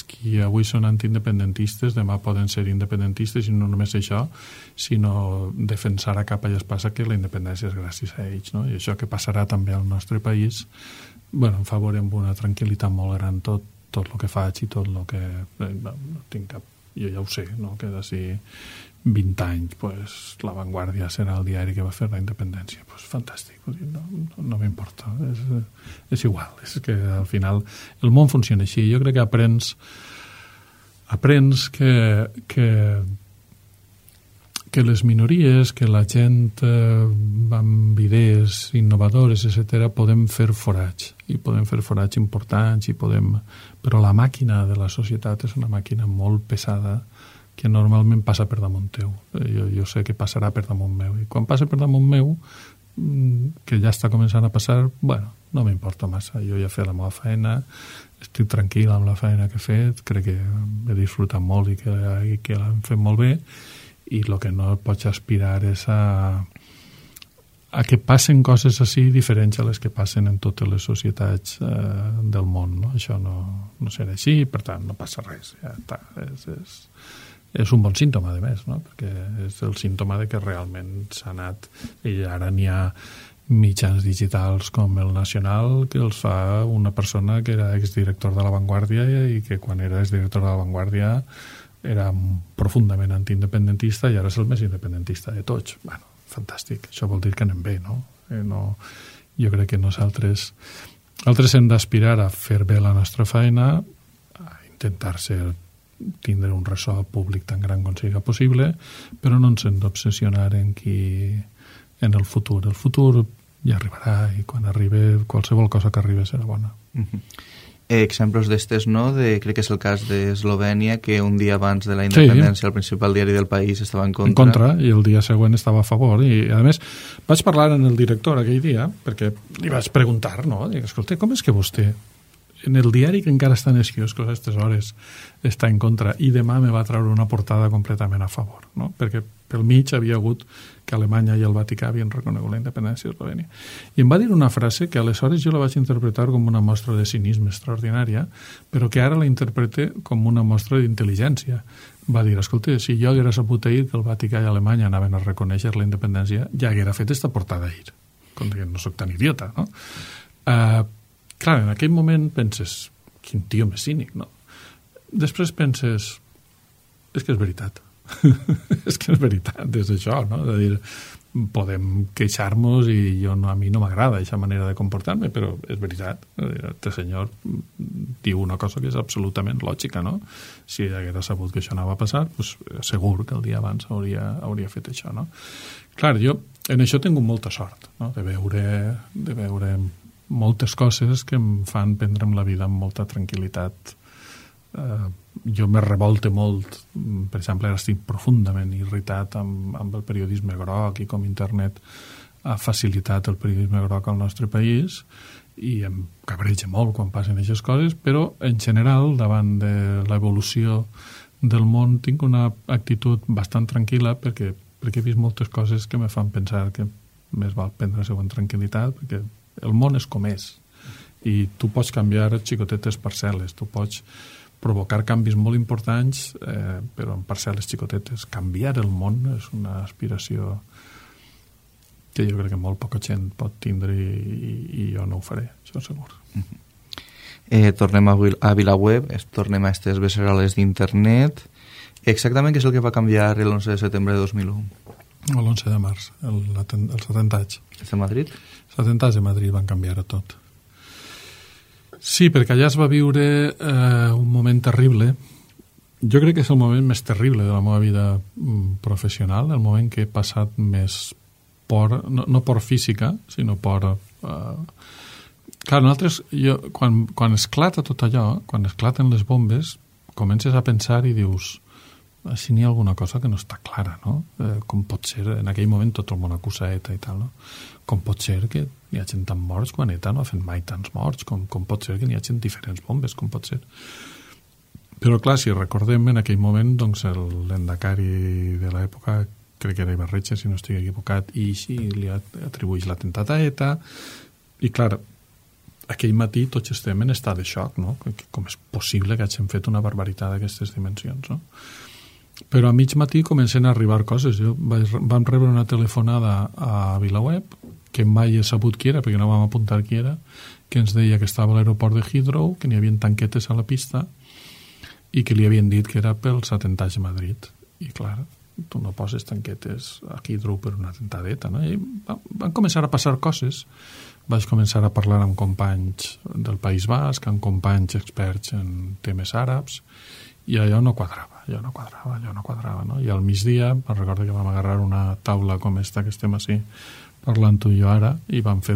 qui avui són antiindependentistes demà poden ser independentistes i no només això, sinó defensar a capa i espasa que la independència és gràcies a ells, no? I això que passarà també al nostre país, bueno, em favorem una tranquil·litat molt gran tot el que faig i tot el que no tinc cap, jo ja ho sé, no? Que d'ací 20 anys pues, La Vanguardia serà el diari que va fer la independència, pues, fantàstic, no m'importa, és igual, és que al final el món funciona així. Jo crec que aprens que les minories, que la gent amb idees innovadores, etc., podem fer forats, i podem fer forats importants, però la màquina de la societat és una màquina molt pesada que normalment passa per damunt teu. Jo sé que passarà per damunt meu, i quan passa per damunt meu, que ja està començant a passar, bueno, no m'importa massa, jo ja he fet la meva feina, estic tranquil amb la feina que he fet, crec que he disfrutat molt i que l'hem fet molt bé, i el que no pots aspirar és a que passen coses així diferents a les que passen en totes les societats del món, no? Això no serà així, per tant no passa res, ja està, és un bon símptoma, a més, no? Perquè és el símptoma de que realment s'ha anat, i ara n'hi ha mitjans digitals com el Nacional que els fa una persona que era exdirector de La Vanguardia i que quan era exdirector de La Vanguardia era profundament antiindependentista i ara és el més independentista de tots. Bueno, fantàstic, això vol dir que anem bé, no? Jo crec que nosaltres hem d'aspirar a fer bé la nostra feina, a intentar tindre un ressò públic tan gran com sigui possible, però no ens hem d'obsessionar en el futur. El futur ja arribarà i quan arribi, qualsevol cosa que arribi serà bona. Exemples d'estes, no? Crec que és el cas d'Eslovènia, que un dia abans de la independència el principal diari del país estava en contra. En contra, i el dia següent estava a favor. I, a més, vaig parlar amb el director aquell dia, perquè li vaig preguntar, no? Dic, escolta, com és que vostè en el diari que encara està en els quioscos a aquestes hores està en contra, i demà me va treure una portada completament a favor, no? Perquè pel mig havia hagut que Alemanya i el Vaticà havien reconegut la independència d'Eslovènia. I em va dir una frase que aleshores jo la vaig interpretar com una mostra de cinisme extraordinària, però que ara la interprete com una mostra d'intel·ligència. Va dir, escolta, si jo haguera sabut ahir que el Vaticà i Alemanya anaven a reconèixer la independència, ja haguera fet esta portada ahir. Com que no soc tan idiota, no? Clar, en aquell moment penses, quin tio més cínic, no? Després penses, és que és veritat. És que és veritat, és això, no? És a dir, podem queixar-nos i a mi no m'agrada aquesta manera de comportar-me, però és veritat. Este senyor diu una cosa que és absolutament lògica, no? Si haguera sabut que això anava a passar, doncs segur que el dia abans hauria fet això, no? Clar, jo en això he tingut molta sort, no? De veure moltes coses que em fan prendre'm la vida amb molta tranquil·litat. Jo me revolte molt, per exemple, ara estic profundament irritat amb el periodisme groc i com internet ha facilitat el periodisme groc al nostre país, i em cabreja molt quan passen aquestes coses, però en general davant de l'evolució del món tinc una actitud bastant tranquil·la perquè he vist moltes coses que me fan pensar que més val prendre-se amb tranquil·litat, perquè el món és com és i tu pots canviar xicotetes parcel·les, tu pots provocar canvis molt importants, però en parcel·les xicotetes. Canviar el món és una aspiració que jo crec que molt poca gent pot tindre i jo no ho faré, això segur. Tornem a VilaWeb, tornem a aquestes beceroles d'internet. Exactament què és el que va canviar l'11 de setembre de 2001? L'11 de març, els atemptats. És de Madrid? Els atemptats de Madrid van canviar a tot. Sí, perquè allà es va viure un moment terrible. Jo crec que és el moment més terrible de la meva vida professional, el moment que he passat més por, no por física, sinó por... Clar, nosaltres, quan esclata tot allò, quan esclaten les bombes, comences a pensar i dius, si n'hi ha alguna cosa que no està clara, no? Com pot ser, en aquell moment tot el món acusa ETA i tal, no? Com pot ser que n'hi ha gent tan morts quan ETA no ha fet mai tants morts? Com pot ser que n'hi ha gent diferents bombes? Com pot ser? Però clar, si recordem en aquell moment, doncs l'endacari de l'època, crec que era Ibarretxe, si no estic equivocat, i així li atribueix l'atemptat a ETA, i clar, aquell matí tots estem en estat de xoc, no? Com és possible que hagin fet una barbaritat d'aquestes dimensions, no? Però a mig matí comencen a arribar coses. Vam rebre una telefonada a VilaWeb, que mai he sabut qui era, perquè no vam apuntar qui era, que ens deia que estava a l'aeroport de Heathrow, que n'hi havia tanquetes a la pista i que li havien dit que era pels atemptats de Madrid. I clar, tu no poses tanquetes a Heathrow per un atemptat d'ETA, no? I van començar a passar coses. Vaig començar a parlar amb companys del País Basc, amb companys experts en temes àrabs, i allò no quadrava, no? I al migdia, me'n recordo que vam agarrar una taula com esta que estem així parlant tu i jo ara, i vam fer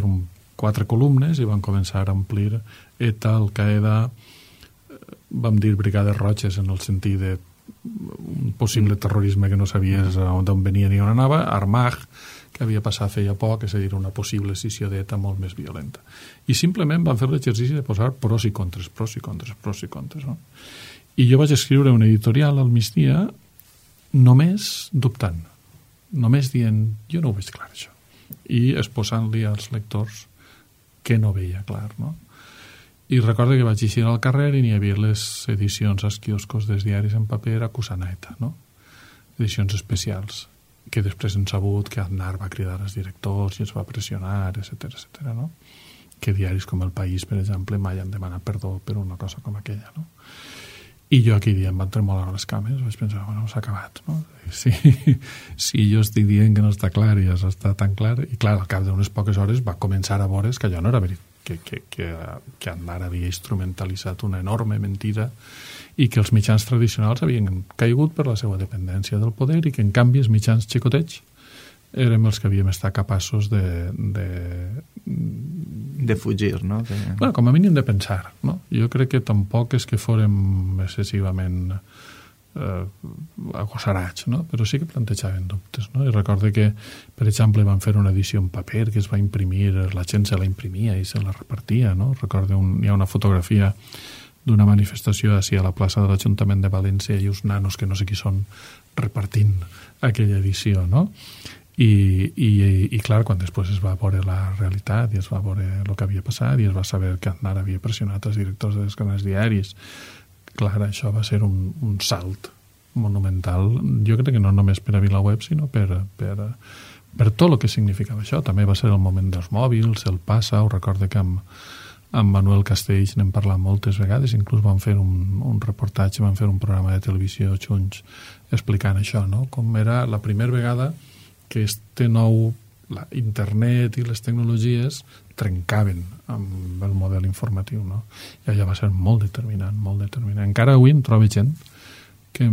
4 columnes i vam començar a omplir ETA, Al-Qaeda, vam dir brigades roges en el sentit de un possible terrorisme que no sabies d'on venia ni on anava, Armagh, que havia passat feia poc, és a dir, una possible escissió d'ETA molt més violenta. I simplement van fer l'exercici de posar pros i contres, no? I jo vaig escriure un editorial al migdia només dubtant, només dient, jo no ho veig clar, això. I exposant-li als lectors que no veia clar, no? I recordo que vaig eixir al carrer i n'hi havia les edicions als quioscos dels diaris en paper acusant a ETA, no? Edicions especials, que després hem sabut que Aznar va cridar als directors i els va pressionar, etc., no? Que diaris com El País, per exemple, mai han demanat perdó per una cosa com aquella, no? I jo aquell dia em van tremolar les cames, vaig pensar, bueno, s'ha acabat, no? Si jo estic dient que no està clar i ja està tan clar, i clar, al cap d'unes poques hores va començar a veure's que allò no era veritat, que Aznar havia instrumentalitzat una enorme mentida i que els mitjans tradicionals havien caigut per la seva dependència del poder i que en canvi els mitjans xicotets érem els que havíem estat capaços de fugir, no? Bueno, com a mínim de pensar, no? Jo crec que tampoc és que fórem excessivament agosarats, no? Però sí que plantejaven dubtes, no? I recordo que, per exemple, van fer una edició en paper que es va imprimir, la gent se la imprimia i se la repartia, no? Recordo hi ha una fotografia d'una manifestació així a la plaça de l'Ajuntament de València i uns nanos que no sé qui són repartint aquella edició, no? I clar, quan després es va veure la realitat i es va veure el que havia passat i es va saber que Aznar havia pressionat els directors dels canals diaris, clar, això va ser un salt monumental, jo crec que no només per a VilaWeb, sinó per tot el que significava això. També va ser el moment dels mòbils, el Passa, ho recordo que amb Manuel Castells n'hem parlat moltes vegades, inclús van fer un reportatge, van fer un programa de televisió junts explicant això, no? Com era la primera vegada que internet i les tecnologies trencaven amb el model informatiu, no? I allò va ser molt determinant, molt determinant. Encara avui em trobo gent que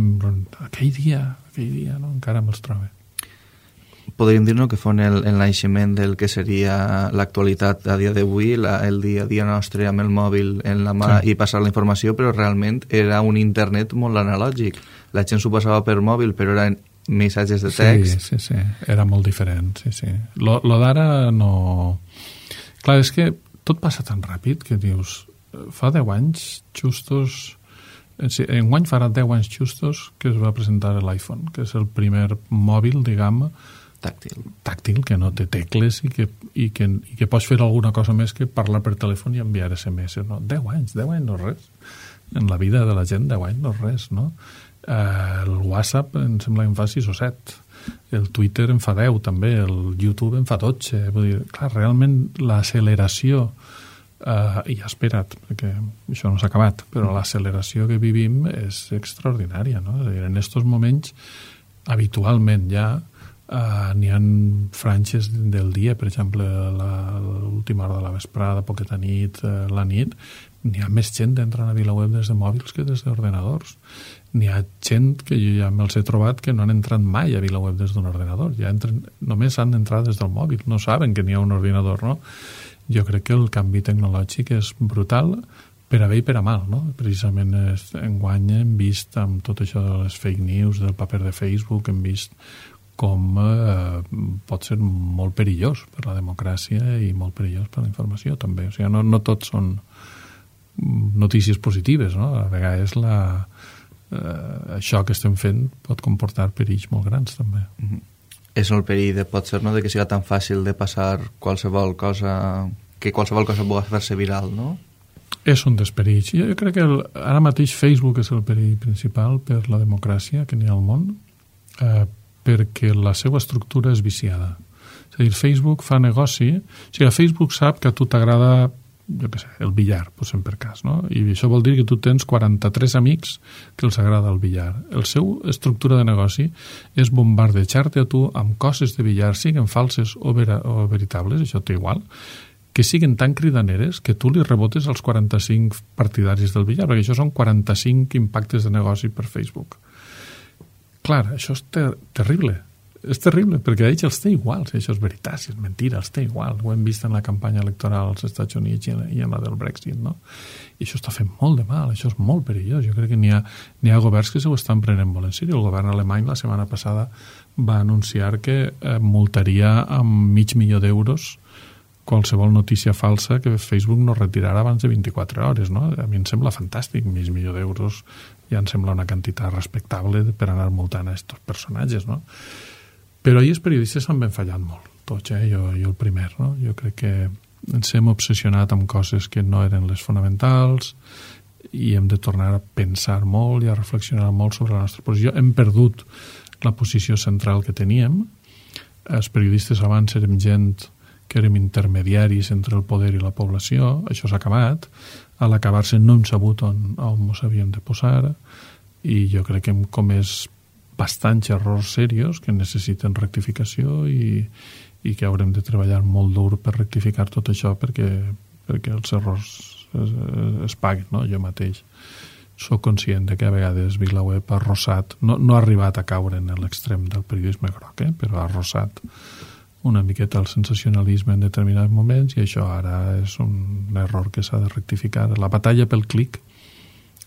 aquell dia, no? Encara me'ls trobo. Podríem dir-nos que fon el naixement del que seria l'actualitat a dia d'avui, el dia a dia nostre amb el mòbil en la mà i passar la informació, però realment era un internet molt analògic. La gent s'ho passava per mòbil, però eren missatges de text. Sí, era molt diferent, sí. Lo d'ara no... Clar, és que tot passa tan ràpid que dius, fa 10 anys justos... Enguany farà 10 anys justos que es va presentar l'iPhone, que és el primer mòbil, diguem, tàctil, que no té tecles i que pots fer alguna cosa més que parlar per telèfon i enviar SMS, no? 10 anys no és res. En la vida de la gent 10 anys no és res, no? El WhatsApp em sembla que en fa 6 o 7, el Twitter en fa 10 també, el YouTube en fa 12. Vull dir, clar, realment l'acceleració i espera't, perquè això no s'ha acabat, però l'acceleració que vivim és extraordinària, no? En aquests moments habitualment ja n'hi ha franges del dia, per exemple l'última hora de la vesprada, poqueta nit, la nit, n'hi ha més gent entrant a VilaWeb des de mòbils que des d'ordenadors. N'hi ha gent que jo ja me'ls he trobat que no han entrat mai a VilaWeb des d'un ordenador, només han d'entrar des del mòbil, no saben que n'hi ha un ordinador, no? Jo crec que el canvi tecnològic és brutal per a bé i per a mal, no? Precisament enguany hem vist amb tot això de les fake news, del paper de Facebook, hem vist com pot ser molt perillós per la democràcia i molt perillós per la informació també. O sigui, no tots són notícies positives, no? A vegades això que estem fent pot comportar perills molt grans també. És el perill pot ser, no?, de que siga tan fàcil de passar qualsevol cosa, que qualsevol cosa pugui fer-se viral, no? És un dels perills. Jo crec que ara mateix Facebook és el perill principal per la democràcia que n'hi ha al món, perquè la seva estructura és viciada. És a dir, Facebook fa negoci... O sigui, Facebook sap que a tu t'agrada, jo què sé, el billar, posem per cas, no? I això vol dir que tu tens 43 amics que els agrada el billar. El seu estructura de negoci és bombardejar-te a tu amb coses de billar, siguin falses o veritables, això té igual, que siguin tan cridaneres que tu li rebotes als 45 partidaris del billar, perquè això són 45 impactes de negoci per Facebook. Clar, això és terrible. És terrible, perquè a ells els té igual, si això és veritat, si és mentira, els té igual. Ho hem vist en la campanya electoral als Estats Units i en la del Brexit, no? I això està fent molt de mal, això és molt perillós. Jo crec que n'hi ha governs que se ho estan prenent molt en sèrio. El govern alemany la setmana passada va anunciar que multaria amb $500,000 d'euros qualsevol notícia falsa que Facebook no retirarà abans de 24 hores, no? A mi em sembla fantàstic, $500,000 d'euros ja em sembla una quantitat respectable per anar multant a aquests personatges, no? Però ahir els periodistes han ben fallat molt, tots, jo el primer, no? Jo crec que ens hem obsessionat amb coses que no eren les fonamentals i hem de tornar a pensar molt i a reflexionar molt sobre la nostra posició. Hem perdut la posició central que teníem. Els periodistes abans érem gent que érem intermediaris entre el poder i la població, això s'ha acabat. A l'acabar-se no hem sabut on ens havíem de posar i jo crec que hem comès bastants errors serios que necessiten rectificació i que haurem de treballar molt dur per rectificar tot això perquè els errors es paguen, no? Jo mateix soc conscient de que a vegades VilaWeb ha arrossat, no ha arribat a caure en l'extrem del periodisme groc, però ha arrossat una miqueta el sensacionalisme en determinats moments i això ara és un error que s'ha de rectificar. La batalla pel clic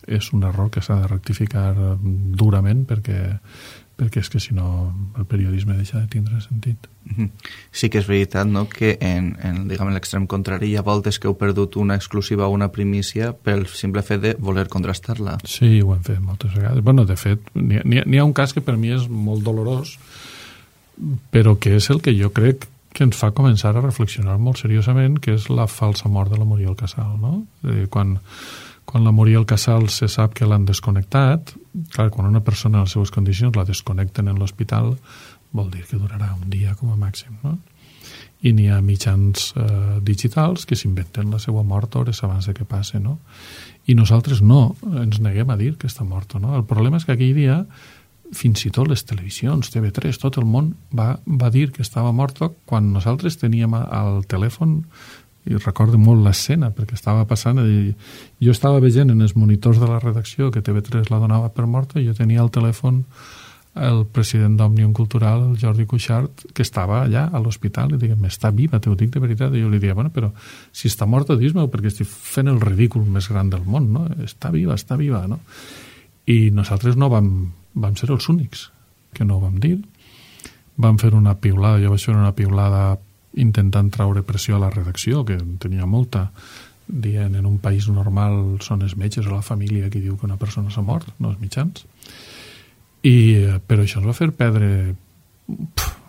és un error que s'ha de rectificar durament perquè és que si no el periodisme deixa de tindre sentit. Sí que és veritat, no?, que en l'extrem contrari hi ha voltes que heu perdut una exclusiva o una primícia pel simple fet de voler contrastar-la. Sí, ho hem fet moltes vegades. Bueno, de fet, n'hi ha un cas que per mi és molt dolorós, però que és el que jo crec que ens fa començar a reflexionar molt seriosament, que és la falsa mort de la Muriel Casal, no? Quan la Muriel Casal se sap que l'han desconnectat, clar, quan una persona en les seves condicions la desconnecten en l'hospital, vol dir que durarà un dia com a màxim, no? I n'hi ha mitjans digitals que s'inventen la seva mort hores abans de que passe, no? I nosaltres no ens neguem a dir que està morta, no? El problema és que aquell dia, fins i tot les televisions, TV3, tot el món va dir que estava morta quan nosaltres teníem al telèfon, i recordo molt l'escena perquè estava passant, jo estava veient en els monitors de la redacció que TV3 la donava per morta i jo tenia al telèfon el president d'Òmnium Cultural, el Jordi Cuixart, que estava allà a l'hospital i diguem, està viva, t'ho dic de veritat, i jo li deia, bueno, però si està morta, dis-me-ho, perquè estic fent el ridícul més gran del món, no? Està viva, no? I nosaltres no vam ser els únics que no ho vam dir. Vam fer una piulada, jo vaig fer una piulada intentant traure pressió a la redacció, que en tenia molta, dient en un país normal són els metges o la família qui diu que una persona s'ha mort, no els mitjans. Però això ens va fer perdre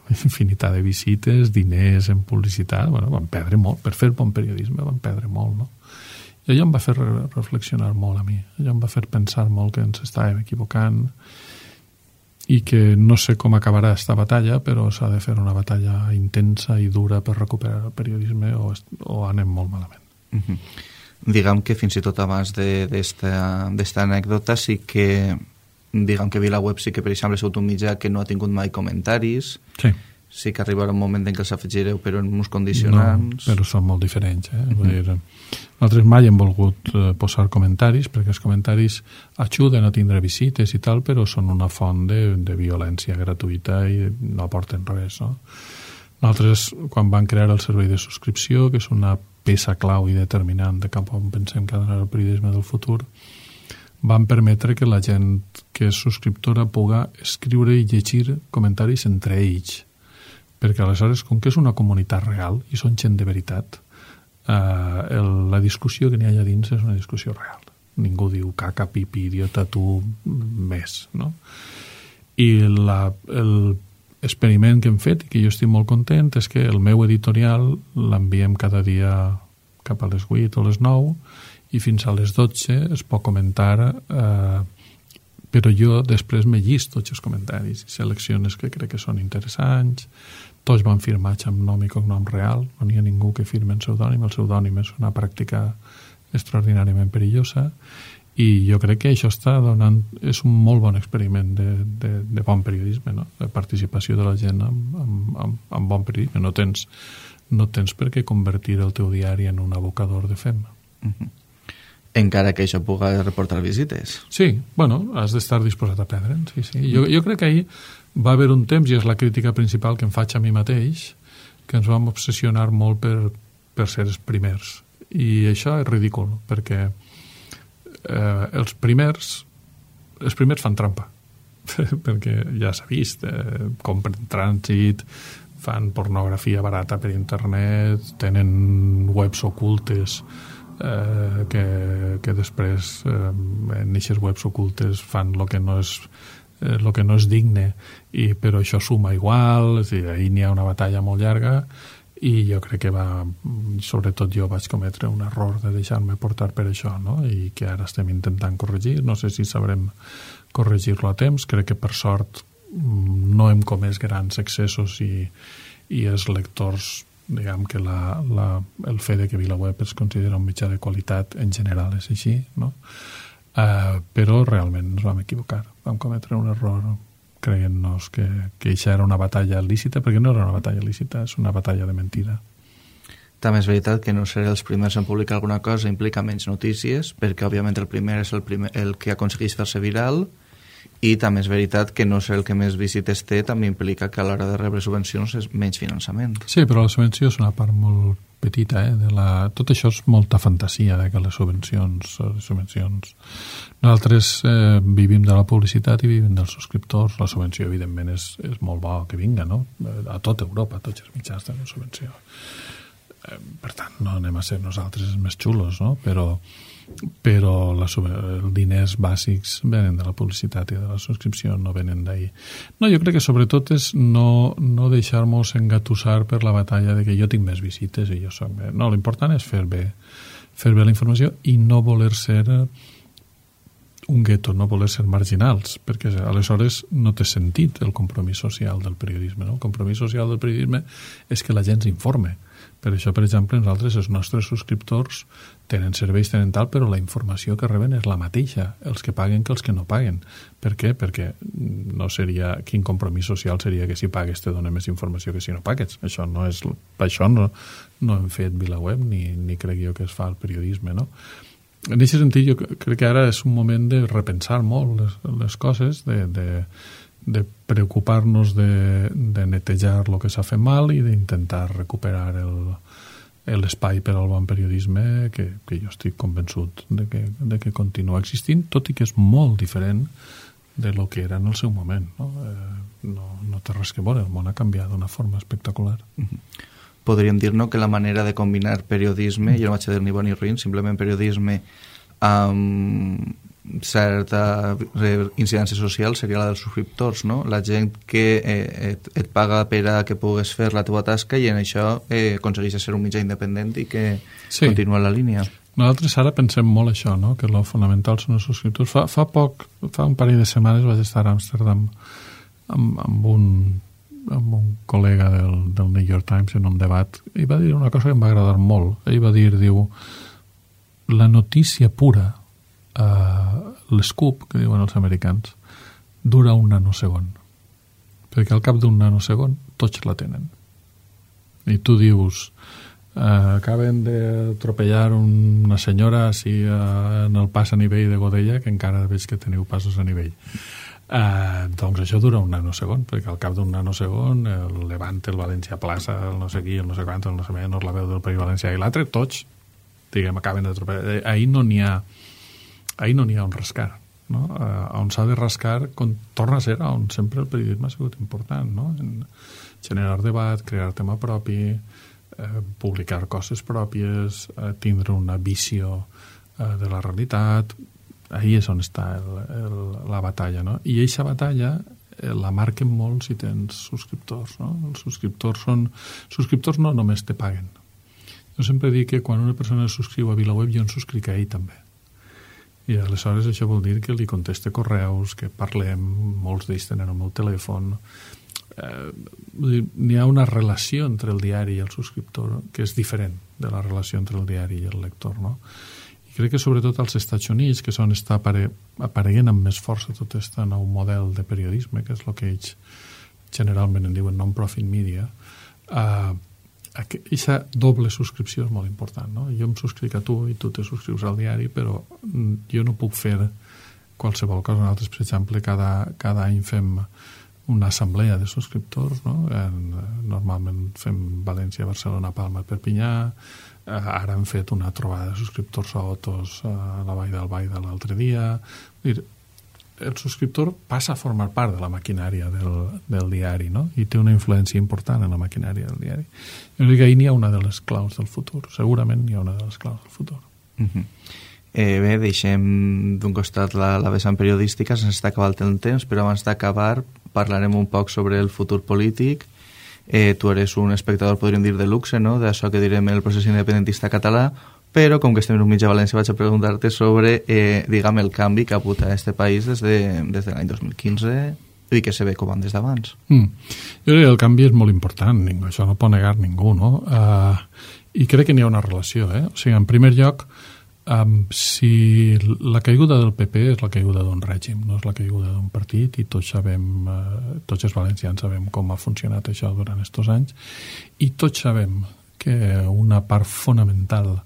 infinitat de visites, diners en publicitat, bueno, vam perdre molt, per fer bon periodisme vam perdre molt, no? I allò em va fer reflexionar molt a mi, allò em va fer pensar molt que ens estàvem equivocant i que no sé com acabarà aquesta batalla, però s'ha de fer una batalla intensa i dura per recuperar el periodisme o anem molt malament. Diguem que fins i tot abans d'esta anècdota sí que diguem que VilaWeb sí que per exemple ha sigut un mitjà que no ha tingut mai comentaris, sí que arribarà un moment en què els afegireu però en uns condicionants. No, però són molt diferents, vull dir, nosaltres mai hem volgut posar comentaris perquè els comentaris ajuden a tindre visites i tal, però són una font de violència gratuïta i no aporten res, no? Nosaltres, quan van crear el servei de subscripció, que és una peça clau i determinant de cap on pensem que ha d'anar el periodisme del futur, van permetre que la gent que és subscriptora pugui escriure i llegir comentaris entre ells, perquè aleshores, com que és una comunitat real i són gent de veritat, la discussió que n'hi ha allà dins és una discussió real. Ningú diu caca, pipi, idiota, tu, més, no? I l'experiment que hem fet, i que jo estic molt content, és que el meu editorial l'enviem cada dia cap a les 8 o les 9 i fins a les 12 es pot comentar, però jo després me llisto tots els comentaris i selecciones que crec que són interessants. Tots van firmats amb nom i cognom real, no n'hi ha ningú que firme en pseudònim, el pseudònim és una pràctica extraordinàriament perillosa i jo crec que això està donant, és un molt bon experiment de bon periodisme, no? De participació de la gent en bon periodisme. No tens per què convertir el teu diari en un abocador de fem. Encara que això pugui reportar visites. Sí, bueno, has d'estar disposat a perdre'n, sí. Jo crec que ahir va haver un temps, i és la crítica principal que em faig a mi mateix, que ens vam obsessionar molt per ser els primers. I això és ridícul, perquè els primers fan trampa, perquè ja s'ha vist, compren trànsit, fan pornografia barata per internet, tenen webs ocultes que després en aquestes webs ocultes fan el que no és digne, però això suma igual, és a dir, ahir n'hi ha una batalla molt llarga i jo crec que sobretot jo vaig cometre un error de deixar-me portar per això, no? I que ara estem intentant corregir, no sé si sabrem corregir-lo a temps, crec que per sort no hem comès grans excessos i els lectors, diguem que el fet de que VilaWeb es considera un mitjà de qualitat en general és així, no? Però realment ens vam equivocar, vam cometre un error creient-nos que això era una batalla lícita, perquè no era una batalla lícita, és una batalla de mentida. També és veritat que no ser els primers en publicar alguna cosa implica menys notícies, perquè òbviament el primer és el que aconsegueix fer-se viral i també és veritat que no ser el que més visites té també implica que a l'hora de rebre subvencions és menys finançament. Sí, però la subvenció és una part molt petita, tot això és molta fantasia que les subvencions. Nosaltres vivim de la publicitat i vivim dels subscriptors. La subvenció evidentment és molt bo que vinga, no? A tota Europa, tots els mitjans tenen subvenció. Per tant, no anem a ser nosaltres els més xulos, no? Però els diners bàsics venen de la publicitat i de la subscripció, no venen d'ahir. No, jo crec que sobretot és no deixar-nos engatussar per la batalla de que jo tinc més visites i jo soc més. No, l'important és fer bé la informació i no voler ser un gueto, no voler ser marginals, perquè aleshores no té sentit el compromís social del periodisme. No? El compromís social del periodisme és que la gent s'informe. Per això, per exemple, nosaltres, els nostres subscriptors tenen serveis, tenen tal, però la informació que reben és la mateixa, els que paguen que els que no paguen. Per què? Perquè no seria... Quin compromís social seria que si pagues te dona més informació que si no pagues? Això no és... Per això no hem fet VilaWeb ni crec jo que es fa el periodisme, no? En aquest sentit, jo crec que ara és un moment de repensar molt les coses, de preocupar-nos de netejar el que s'ha fet mal i d'intentar recuperar l'espai per al bon periodisme que jo estic convençut de que continua existint, tot i que és molt diferent de lo que era en el seu moment. No té res que veure, el món ha canviat d'una forma espectacular. Podríem dir que la manera de combinar periodisme, jo no vaig a dir ni bon ni ruïn, simplement periodisme amb certa incidència social seria la dels subscriptors, no? La gent que et paga per a que pugues fer la teva tasca i en això aconsegueix ser un mitjà independent i que continua la línia. Nosaltres ara pensem molt això, no? Que el fonamental són els subscriptors. Fa un parell de setmanes vaig estar a Amsterdam amb un col·lega del New York Times en un debat i va dir una cosa que em va agradar molt. Ell va dir, la notícia pura, l'escoop, que diuen els americans, dura un nanosegon. Perquè al cap d'un nanosegon tots la tenen. I tu dius, acaben d'atropellar una senyora així en el pas a nivell de Godella, que encara veig que teniu passos a nivell. Doncs això dura un nanosegon, perquè al cap d'un nanosegon el Levante, el València Plaça, el no sé qui, el no sé quant, el no sé menys, la veu del País Valencià i l'altre, tots, acaben d'atropellar. Ahir no n'hi ha un rascar, no? On s'ha de rascar torna a ser on sempre el periodisme ha sigut important, no? En generar debat, crear tema propi, publicar coses pròpies, tindre una visió de la realitat. Ahí és on està la batalla, no? I aquesta batalla la marquen molt si tens subscriptors, no? Els subscriptors no només te paguen. Jo sempre dic que quan una persona es subscriu a VilaWeb jo en subscric a ell també. I aleshores això vol dir que li conteste correus, que parlem, molts d'ells tenen el meu telèfon. N'hi ha una relació entre el diari i el subscriptor que és diferent de la relació entre el diari i el lector, no? I crec que sobretot als Estats Units, que són apareguent amb més força tot aquest nou model de periodisme, que és el que ells generalment en diuen non-profit media, aquesta doble subscripció és molt important, no? Jo em subscric a tu i tu te subscrius al diari, però jo no puc fer qualsevol cosa. Nosaltres, per exemple, cada any fem una assemblea de subscriptors, no? Normalment fem València, Barcelona, Palma, Perpinyà. Ara hem fet una trobada de subscriptors a Otos a la Vall d'Albaida l'altre dia. El subscriptor passa a formar part de la maquinària del diari, no? I té una influència important en la maquinària del diari. Jo crec que ahir n'hi ha una de les claus del futur. Segurament n'hi ha una de les claus del futur. Bé, deixem d'un costat la vessant periodística, se'ns està acabant el temps, però abans d'acabar parlarem un poc sobre el futur polític. Tu eres un espectador, podríem dir, de luxe, no? D'això que direm el procés independentista català, però com que estem en un mitjà a València vaig a preguntar-te sobre, el canvi que ha hagut a aquest país des de l'any 2015 i que se ve com des d'abans. Jo crec que el canvi és molt important, això no pot negar ningú, no? I crec que n'hi ha una relació, O sigui, en primer lloc, si la caiguda del PP és la caiguda d'un règim, no és la caiguda d'un partit, i tots sabem, tots els valencians sabem com ha funcionat això durant aquests anys, i tots sabem que una part fonamental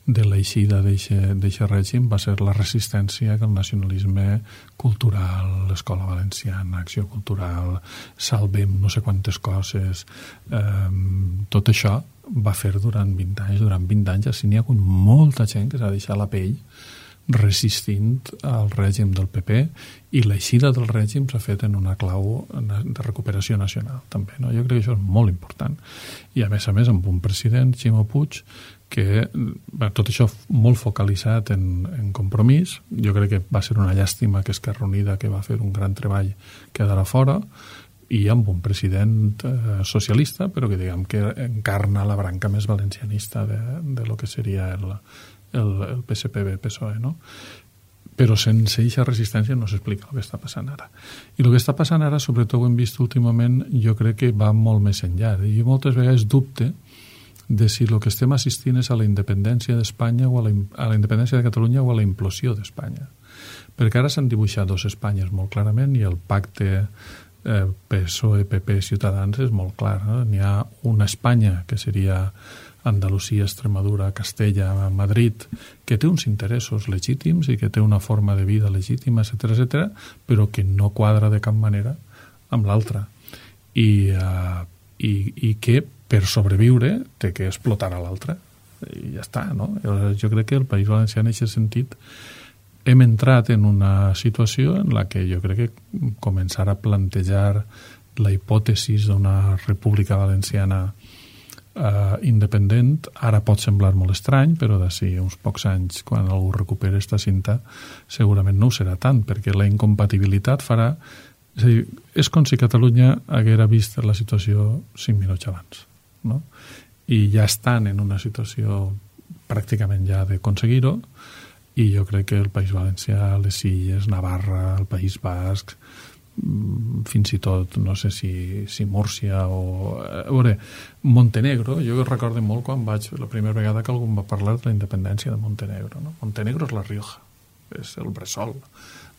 de l'eixida d'aquest règim va ser la resistència que el nacionalisme cultural, l'escola valenciana, acció cultural, salvem no sé quantes coses, tot això va fer durant 20 anys. Durant 20 anys així n'hi ha hagut molta gent que s'ha deixat la pell resistint al règim del PP, i l'eixida del règim s'ha fet en una clau de recuperació nacional també, no? Jo crec que això és molt important, i a més amb un president, Ximo Puig, que tot això molt focalitzat en Compromís. Jo crec que va ser una llàstima que Esquerra Unida, que va fer un gran treball, quedarà fora, i amb un president socialista, però que diguem que encarna la branca més valencianista de lo que seria el PSPB-PSOE, no? Però sense aquesta resistència no s'explica el que està passant ara. I el que està passant ara, sobretot ho hem vist últimament, jo crec que va molt més enllà. Jo moltes vegades dubte de si el que estem assistint és a la independència d'Espanya o a la independència de Catalunya o a la implosió d'Espanya. Perquè ara s'han dibuixat dos Espanyes molt clarament, i el pacte PSOE, PP, Ciutadans és molt clar, no? N'hi ha una Espanya que seria Andalusia, Extremadura, Castella, Madrid, que té uns interessos legítims i que té una forma de vida legítima, etc., però que no quadra de cap manera amb l'altra. I que per sobreviure té que explotar a l'altra. I ja està, no? Jo crec que el País Valencià en aquest sentit hem entrat en una situació en la que jo crec que començar a plantejar la hipòtesi d'una república valenciana independent ara pot semblar molt estrany, però d'ací uns pocs anys, quan algú recuperi esta cinta, segurament no ho serà tant, perquè la incompatibilitat farà... És a dir, és com si Catalunya haguera vist la situació 5 minuts abans, no? I ja estan en una situació pràcticament ja d'aconseguir-ho, i jo crec que el País Valencià, les Illes, Navarra, el País Basc, fins i tot, no sé si Múrcia o... A veure, Montenegro, jo recordo molt quan vaig, la primera vegada que algú va parlar de la independència de Montenegro, no? Montenegro és la Rioja, és el bressol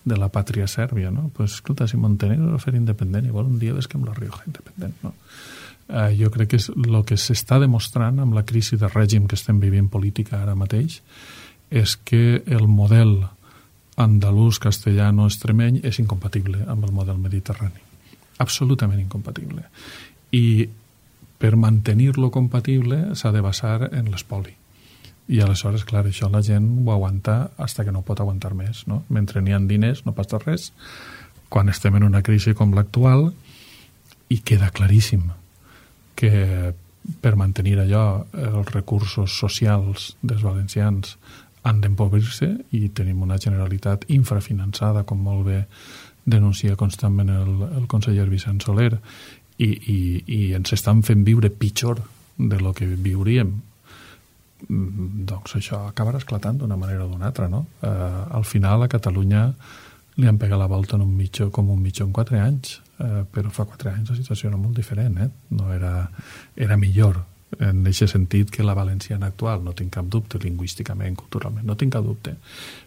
de la pàtria sèrbia, no? Pues, escolta, si Montenegro va fer independent, igual un dia ves que amb la Rioja independent, no? Jo crec que és el que s'està demostrant amb la crisi de règim que estem vivint política ara mateix, és que el model andalús, castellano, extremeny és incompatible amb el model mediterrani. Absolutament incompatible. I per mantenir-lo compatible s'ha de basar en l'espoli. I aleshores, clar, això la gent ho aguanta fins que no pot aguantar més, no? Mentre n'hi ha diners no passa res. Quan estem en una crisi com l'actual, i queda claríssim que per mantenir allò els recursos socials dels valencians han d'empobrir-se, i tenim una Generalitat infrafinançada, com molt bé denuncia constantment el conseller Vicent Soler, i ens estan fent viure pitjor de lo que viuríem. Doncs això acabarà esclatant d'una manera o d'una altra, no? Al final a Catalunya li han pegat la volta com un mitjó en 4 anys, però fa 4 anys la situació era molt diferent, no era millor en aquest sentit que la valenciana actual, no tinc cap dubte, lingüísticament, culturalment, no tinc cap dubte,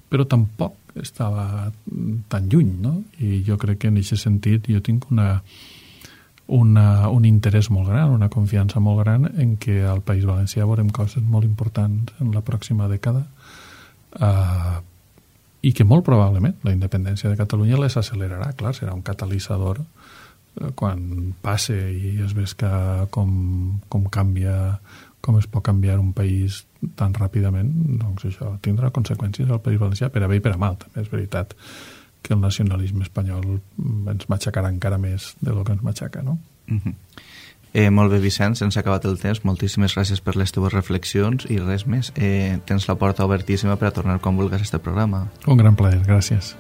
però tampoc estava tan lluny, no? I jo crec que en aquest sentit jo tinc un interès molt gran, una confiança molt gran en que al País Valencià veurem coses molt importants en la pròxima dècada, i que molt probablement la independència de Catalunya les accelerarà, clar, serà un catalitzador quan passe i es ves que com canvia, com es pot canviar un país tan ràpidament, doncs això tindrà conseqüències al País Valencià, per a bé i per a mal. També és veritat que el nacionalisme espanyol ens matxacarà encara més de lo que ens matxaca, no? Molt bé, Vicenç, ens ha acabat el temps. Moltíssimes gràcies per les teves reflexions i res més. Tens la porta obertíssima per a tornar quan vulguis a este programa. Un gran plaer, gràcies.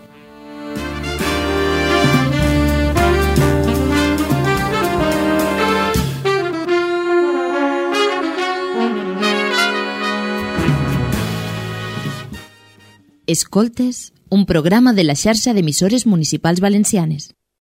Escoltes un programa de la xarxa d'emissores municipals valencianes.